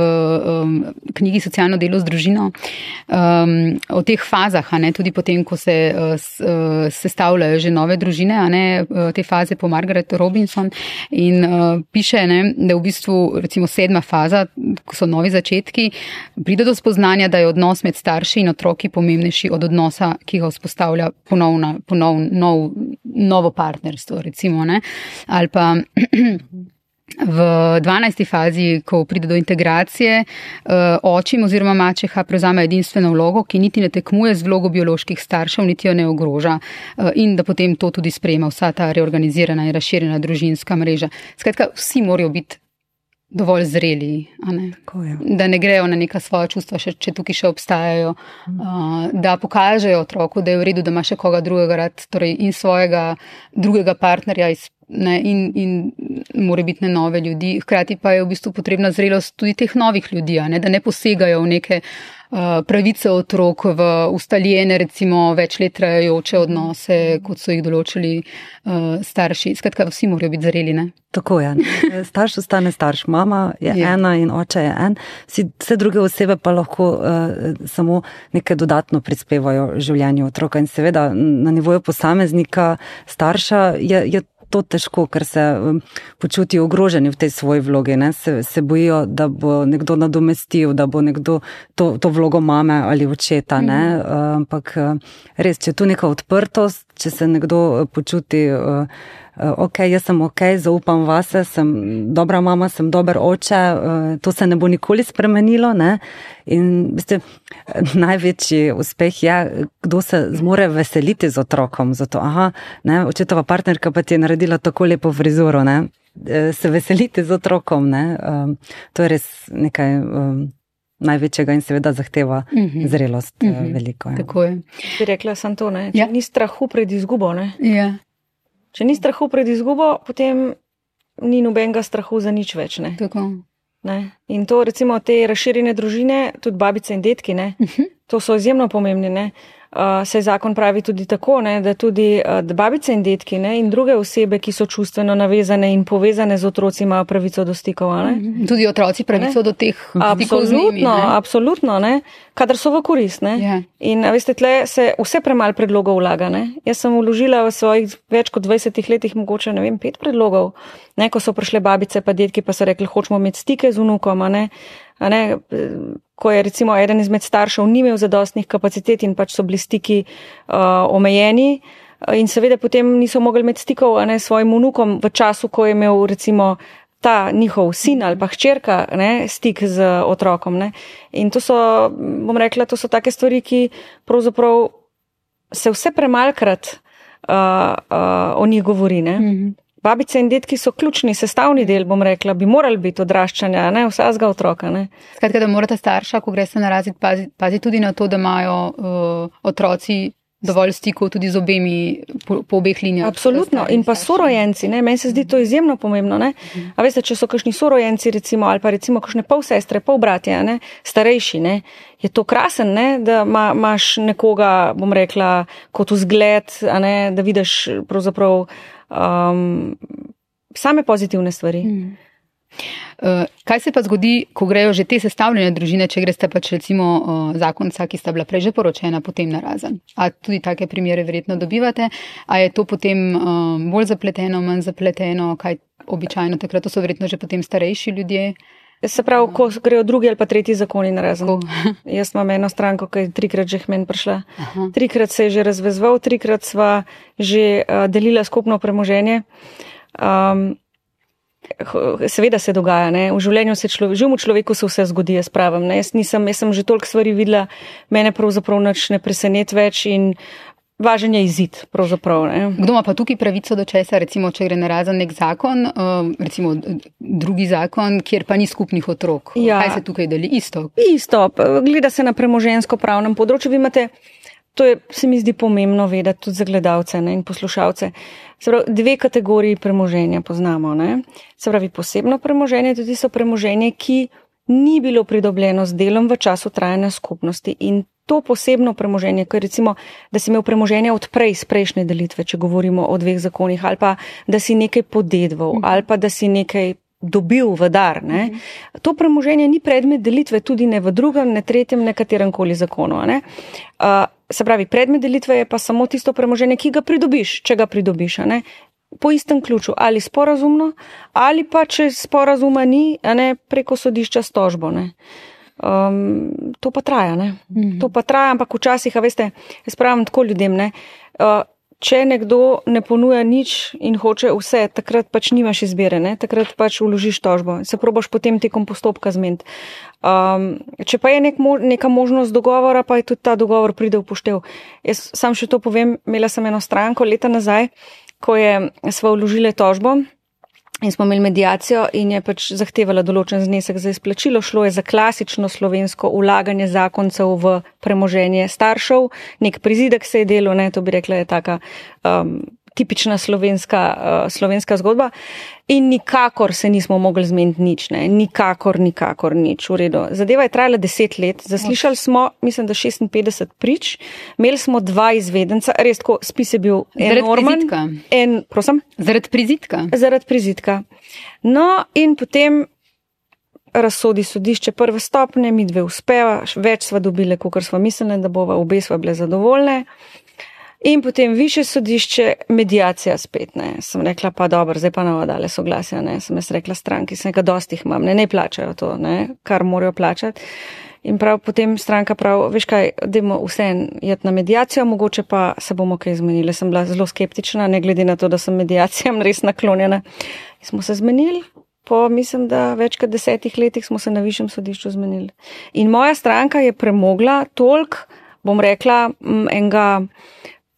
knjigi Socialno delo z družino o teh fazah, tudi potem, ko se sestavljajo že nove družine, te faze po Margaret Robinson, in piše, da v bistvu recimo 7. faza, ko so novi začetki, pride do spoznanja, da je odnos med starši in otroki pomembnejši od odnosa, ki ga vzpostavlja novo partnerstvo, recimo, ali pa v 12. fazi, ko pride do integracije, očim oziroma mačeha prevzame edinstveno vlogo, ki niti ne tekmuje z vlogo bioloških staršev, niti jo ne ogroža, in da potem to tudi sprejema vsa ta reorganizirana in razširjena družinska mreža. Skratka, vsi morajo biti dovolj zreli, a ne? Da ne grejo na neka svoja čustva, če tukaj še obstajajo, da pokažejo otroku, da je v redu, da ima še koga drugega rad, torej in svojega drugega partnerja in morebitne nove ljudi. Hkrati pa je v bistvu potrebna zrelost tudi teh novih ljudi, a ne? Da ne posegajo v neke pravice otrok, v ustaljene, recimo več let trajajoče odnose, kot so jih določili starši. Skratka, vsi morajo biti zreli, ne? Tako je. Starš ostane starš. Mama je ena in oče je en. Vse druge osebe pa lahko samo nekaj dodatno prispevajo v življenju otroka. In seveda na nivoju posameznika, starša je to težko, ker se počutijo ogroženi v tej svoji vlogi. Ne? Se bojijo, da bo nekdo nadomestil, da bo nekdo to vlogo mame ali očeta. Ne? Ampak res, če je tu neka odprtost, če se nekdo počuti ok, jaz sem ok, zaupam vase, sem dobra mama, sem dober oče, to se ne bo nikoli spremenilo. Ne? In največji uspeh je, kdo se zmore veseliti z otrokom. Zato, očetova partnerka pa ti je naredila tako lepo frizuro, ne? Se veseliti z otrokom. Ne? To je res nekaj največjega in seveda zahteva zrelost veliko. Ja. Tako je. Bi rekla sem to, ne? Če ni strahu pred izgubo, ne? Ja. Če ni strahu pred izgubo, potem ni nobenega strahu za nič več. Ne? Tako. Ne? In to recimo te razširjene družine, tudi babice in detki, ne? To so izjemno pomembni. Ne? Saj zakon pravi tudi tako, ne? Da tudi babice in detki, ne? In druge osebe, ki so čustveno navezane in povezane z otroci, imajo pravico do stikov. Ne? Tudi otroci pravico do teh stikov z njimi. Absolutno, ne? Kadar so v korist. Ne? Yeah. In veste, tle se vse premalo predlogov vlaga. Ne? Jaz sem vložila v svojih več kot 20 letih mogoče, 5 predlogov. Ne? Ko so prišle babice pa detki, pa so rekli, hočemo imeti stike z vnukom, a ne? Ko je recimo eden izmed staršev ni imel zadostnih kapacitet in pač so bili stiki omejeni in seveda potem niso mogli imeti stikov s svojim vnukom v času, ko je imel recimo ta njihov sin ali pa hčerka stik z otrokom. Ne? In to so, bom rekla, to so take stvari, ki pravzaprav se vse premalkrat o njih govori. Ne? Babice in detki so ključni sestavni del, bom rekla, bi morali biti odraščanja, vsakega otroka. Ne? Skratka, da morata starša, ko greste na razred, paziti tudi na to, da imajo otroci dovolj stikov tudi z obemi po obeh linijah. Absolutno. In pa sorojenci, ne? Meni se zdi to izjemno pomembno. Ne? A veste, če so kakšni sorojenci recimo, ali pa recimo kakšne pol sestre, pol bratje, ne? Starejši, ne? Je to krasen, ne? Da imaš nekoga, bom rekla, kot vzgled, da vidiš pravzaprav same pozitivne stvari. Kaj se pa zgodi, ko grejo že te sestavljene družine, če greste pač recimo zakonca, ki sta bila prej že poročena, potem narazen? A tudi take primere verjetno dobivate? A je to potem bolj zapleteno, manj zapleteno? Kaj običajno takrat? To so verjetno že potem starejši ljudje? Se pravi, ko grejo drugi ali pa tretji zakoni narazen. Jaz imam eno stranko, ki je 3-krat že k meni prišla. 3-krat se je že razvezval, 3-krat sva že delila skupno premoženje. Seveda se dogaja, ne? V življenju živemu človeku se vse zgodi, jaz pravim. Ne? Jaz sem že toliko stvari videla, mene pravzaprav nič ne preseneti več in važen je izid, pravzaprav. Ne? Kdo ima pa tukaj pravico do česa, recimo, če gre narazen nek zakon, recimo drugi zakon, kjer pa ni skupnih otrok? Ja. Kaj se tukaj deli? Isto, gleda se na premoženjsko pravnem področju. Vi imate, to je, se mi zdi pomembno vedeti tudi za gledalce, ne, in poslušalce. Se pravi, 2 kategoriji premoženja poznamo. Ne? Se pravi, posebno premoženje, tudi so premoženje, ki ni bilo pridobljeno z delom v času trajanja skupnosti. In to posebno premoženje, ker recimo, da si imel premoženje od prej, z prejšnje delitve, če govorimo o 2 zakonih, ali pa da si nekaj podedval, ali pa da si nekaj dobil v dar. Ne? To premoženje ni predmet delitve, tudi ne v drugem, ne tretjem, ne katerem koli zakonu. Ne? Se pravi, predmet delitve je pa samo tisto premoženje, ki ga pridobiš, če ga pridobiš. Ne? Po istem ključu, ali sporazumno, ali pa če sporazuma ni, preko sodišča s tožbo. Ne? To pa traja, ne? To pa traja, ampak včasih, a veste, jaz pravim tako ljudem, ne? Če nekdo ne ponuja nič in hoče vse, takrat pač nimaš izbire, ne? Takrat pač vložiš tožbo, se probaš potem tekom postopka zmeniti. Če pa je neka možnost dogovora, pa je tudi ta dogovor pride v poštev. Jaz sam še to povem, imela sem eno stranko leta nazaj, ko sva vložile tožbo In smo imeli mediacijo in je pač zahtevala določen znesek za izplačilo. Šlo je za klasično slovensko ulaganje zakoncev v premoženje staršev. Nek prizidek se je delal, to bi rekla je taka tipična slovenska zgodba. In nikakor se nismo mogli zmeniti nič, nikakor nič. V redu. Zadeva je trajala 10 let. Zaslišali smo, mislim, da 56 prič. Imeli smo 2 izvedenca. Res tako, spis je bil enormen. Zaradi prizidka? Zaradi prizidka. No, in potem razsodi sodišče prve stopnje, mi 2 uspeva, več sva dobile, kakor sva mislili, da bova, obe sva bile zadovoljne. In potem višje sodišče, mediacija spet, Sem rekla, pa dobro, zdaj pa nova dale soglasja, Sem jaz rekla stranki, sem nekaj dosti jih imam, ne plačajo to, kar morajo plačati. In potem stranka prav, veš kaj, dajmo vseeno jeti na mediacijo, mogoče pa se bomo kaj zmenili. Sem bila zelo skeptična, ne glede na to, da sem mediacijam res naklonjena. In smo se zmenili, po mislim, da več kot 10 letih smo se na višjem sodišču zmenili. In moja stranka je premogla toliko, bom rekla, enega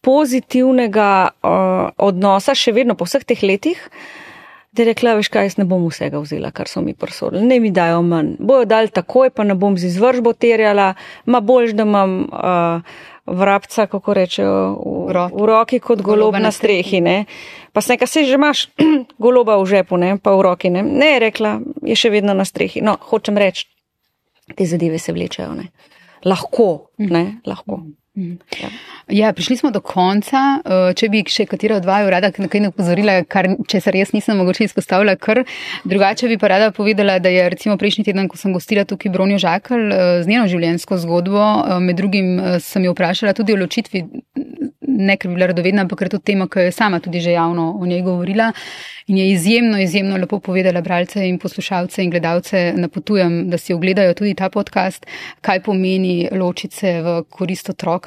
pozitivnega odnosa, še vedno po vseh teh letih, da je rekla, veš kaj, jaz ne bom vsega vzela, kar so mi prosodili, ne mi dajo manj, bojo dali takoj, pa ne bom z izvršbo terjala, boljš, da imam vrabca, kako rečejo, v roki kot golob na strehi, Pa sem nekaj, se že imaš goloba v žepu, pa v roki, ne, je rekla, je še vedno na strehi. No, hočem reči, te zadeve se vlečejo, Lahko, lahko. Ja, prišli smo do konca. Če bi še katera od vaju rada nekaj upozorila, česar jaz nisem mogoče izpostavila, kar drugače bi pa rada povedala, da je recimo prejšnji teden, ko sem gostila tukaj Bronjo Žakelj z njeno življenjsko zgodbo, med drugim sem jo vprašala tudi o ločitvi, ne ker bi bila radovedna, ampak ker je to tema, ki je sama tudi že javno o njej govorila in je izjemno lepo povedala bralce in poslušalce in gledalce, napotujem, da si ogledajo tudi ta podcast, kaj pomeni ločiti se v korist otroka,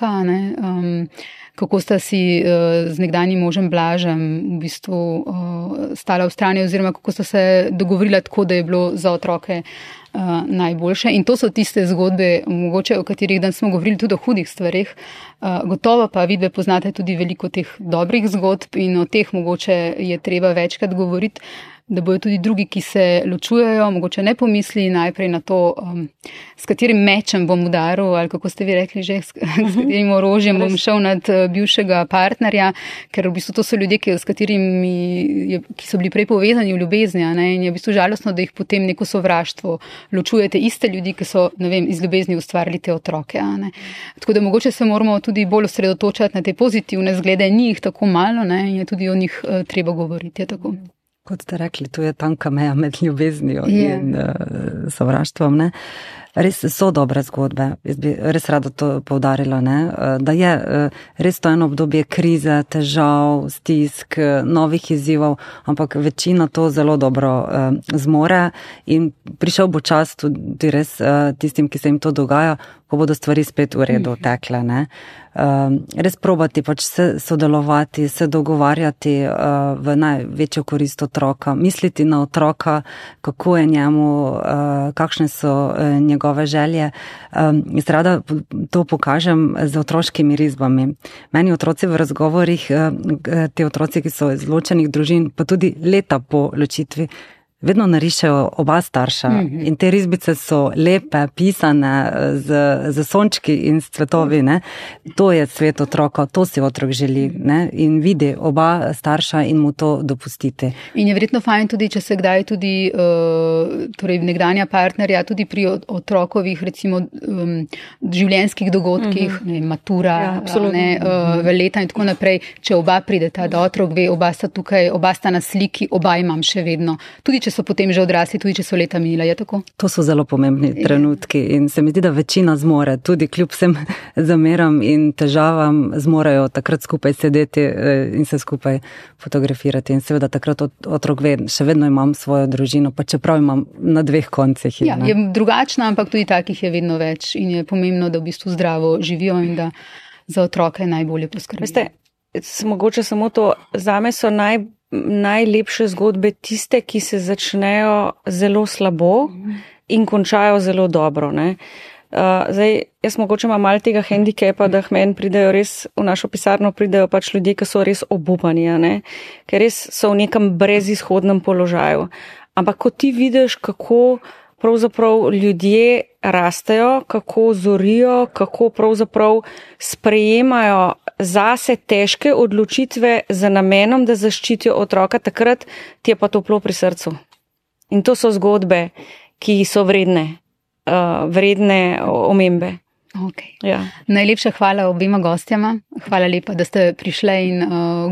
kako sta si z nekdanjim možem Blažem v bistvu stala v strani oziroma kako sta se dogovorila tako, da je bilo za otroke najboljše. In to so tiste zgodbe, mogoče o katerih dan smo govorili tudi o hudih stvarih. Gotovo pa vidve poznate tudi veliko teh dobrih zgodb in o teh mogoče je treba večkrat govoriti, da bojo tudi drugi, ki se ločujejo, mogoče ne pomisli najprej na to, s katerim mečem bom udaril, ali kako ste vi rekli že, s katerim orožjem bom šel nad bivšega partnerja, ker v bistvu to so ljudje, ki so bili prej povezani v ljubezni, in je v bistvu žalostno, da jih potem neko sovraštvo ločujete iste ljudi, ki so, iz ljubezni ustvarili te otroke. Tako da mogoče se moramo tudi bolj osredotočati na te pozitivne zglede, ni jih tako malo, in je tudi o njih treba govoriti, je tako. Kot ste rekli, tu je tanka meja med ljubeznijo in sovraštvom, Res so dobre zgodbe, jaz bi res rada to poudarila, da je res to eno obdobje krize, težav, stisk, novih izzivov, ampak večina to zelo dobro zmore in prišel bo čas tudi res tistim, ki se jim to dogaja, ko bodo stvari spet v redu tekle. Res probati se sodelovati, se dogovarjati v največjo korist otroka, misliti na otroka, kako je njemu, kakšne so njegove želje. Jaz rada to pokažem z otroškimi risbami. Meni otroci v razgovorih, te otroci, ki so iz ločenih družin, pa tudi leta po ločitvi, vedno narišejo oba starša in te risbice so lepe, pisane z sončki in s cvetovi. To je svet otroka, to si otrok želi in vidi oba starša in mu to dopustiti. In je verjetno fajn tudi, če se kdaj tudi torej nekdanja partnerja, tudi pri otrokovih recimo življenjskih dogodkih, matura, leta in tako naprej, če oba prideta, da otrok ve, oba sta tukaj, oba sta na sliki, oba imam še vedno. Tudi če so potem že odrasli, tudi če so leta minila, je tako? To so zelo pomembni trenutki in se mi zdi, da večina zmore, tudi kljub vsem zameram in težavam, zmorejo takrat skupaj sedeti in se skupaj fotografirati. In seveda takrat otrok ve, še vedno imam svojo družino, pa čeprav imam na 2 koncih. Ja, je drugačna, ampak tudi takih je vedno več in je pomembno, da v bistvu zdravo živijo in da za otroke najbolje poskrbijo. Veste, mogoče samo to, zame so najlepše zgodbe tiste, ki se začnejo zelo slabo in končajo zelo dobro. Zdaj, jaz mogoče imam malo tega hendikepa, da meni pridejo res, v našo pisarno pridejo pač ljudje, ki so res obupani, ne? Ker res so v nekem brezizhodnem položaju. Ampak ko ti vidiš, kako pravzaprav ljudje rastejo, kako zorijo, kako pravzaprav sprejemajo zase težke odločitve za namenom, da zaščitijo otroka, takrat ti je pa toplo pri srcu. In to so zgodbe, ki so vredne omembe. Okay. Ja. Najlepša hvala obema gostjama. Hvala lepa, da ste prišle in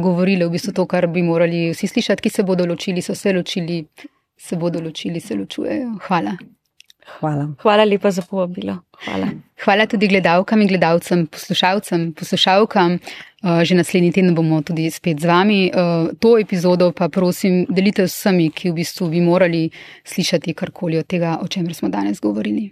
govorili v bistvu to, kar bi morali vsi slišati, ki se bodo ločili, so se ločili, se bodo ločili, se ločujejo. Hvala. Hvala lepa za povabilo. Hvala tudi gledalkam in gledalcem, poslušalcem, poslušalkam. Že naslednji teden bomo tudi spet z vami. To epizodo pa prosim delite z vsemi, ki v bistvu bi morali slišati karkoli od tega, o čemer smo danes govorili.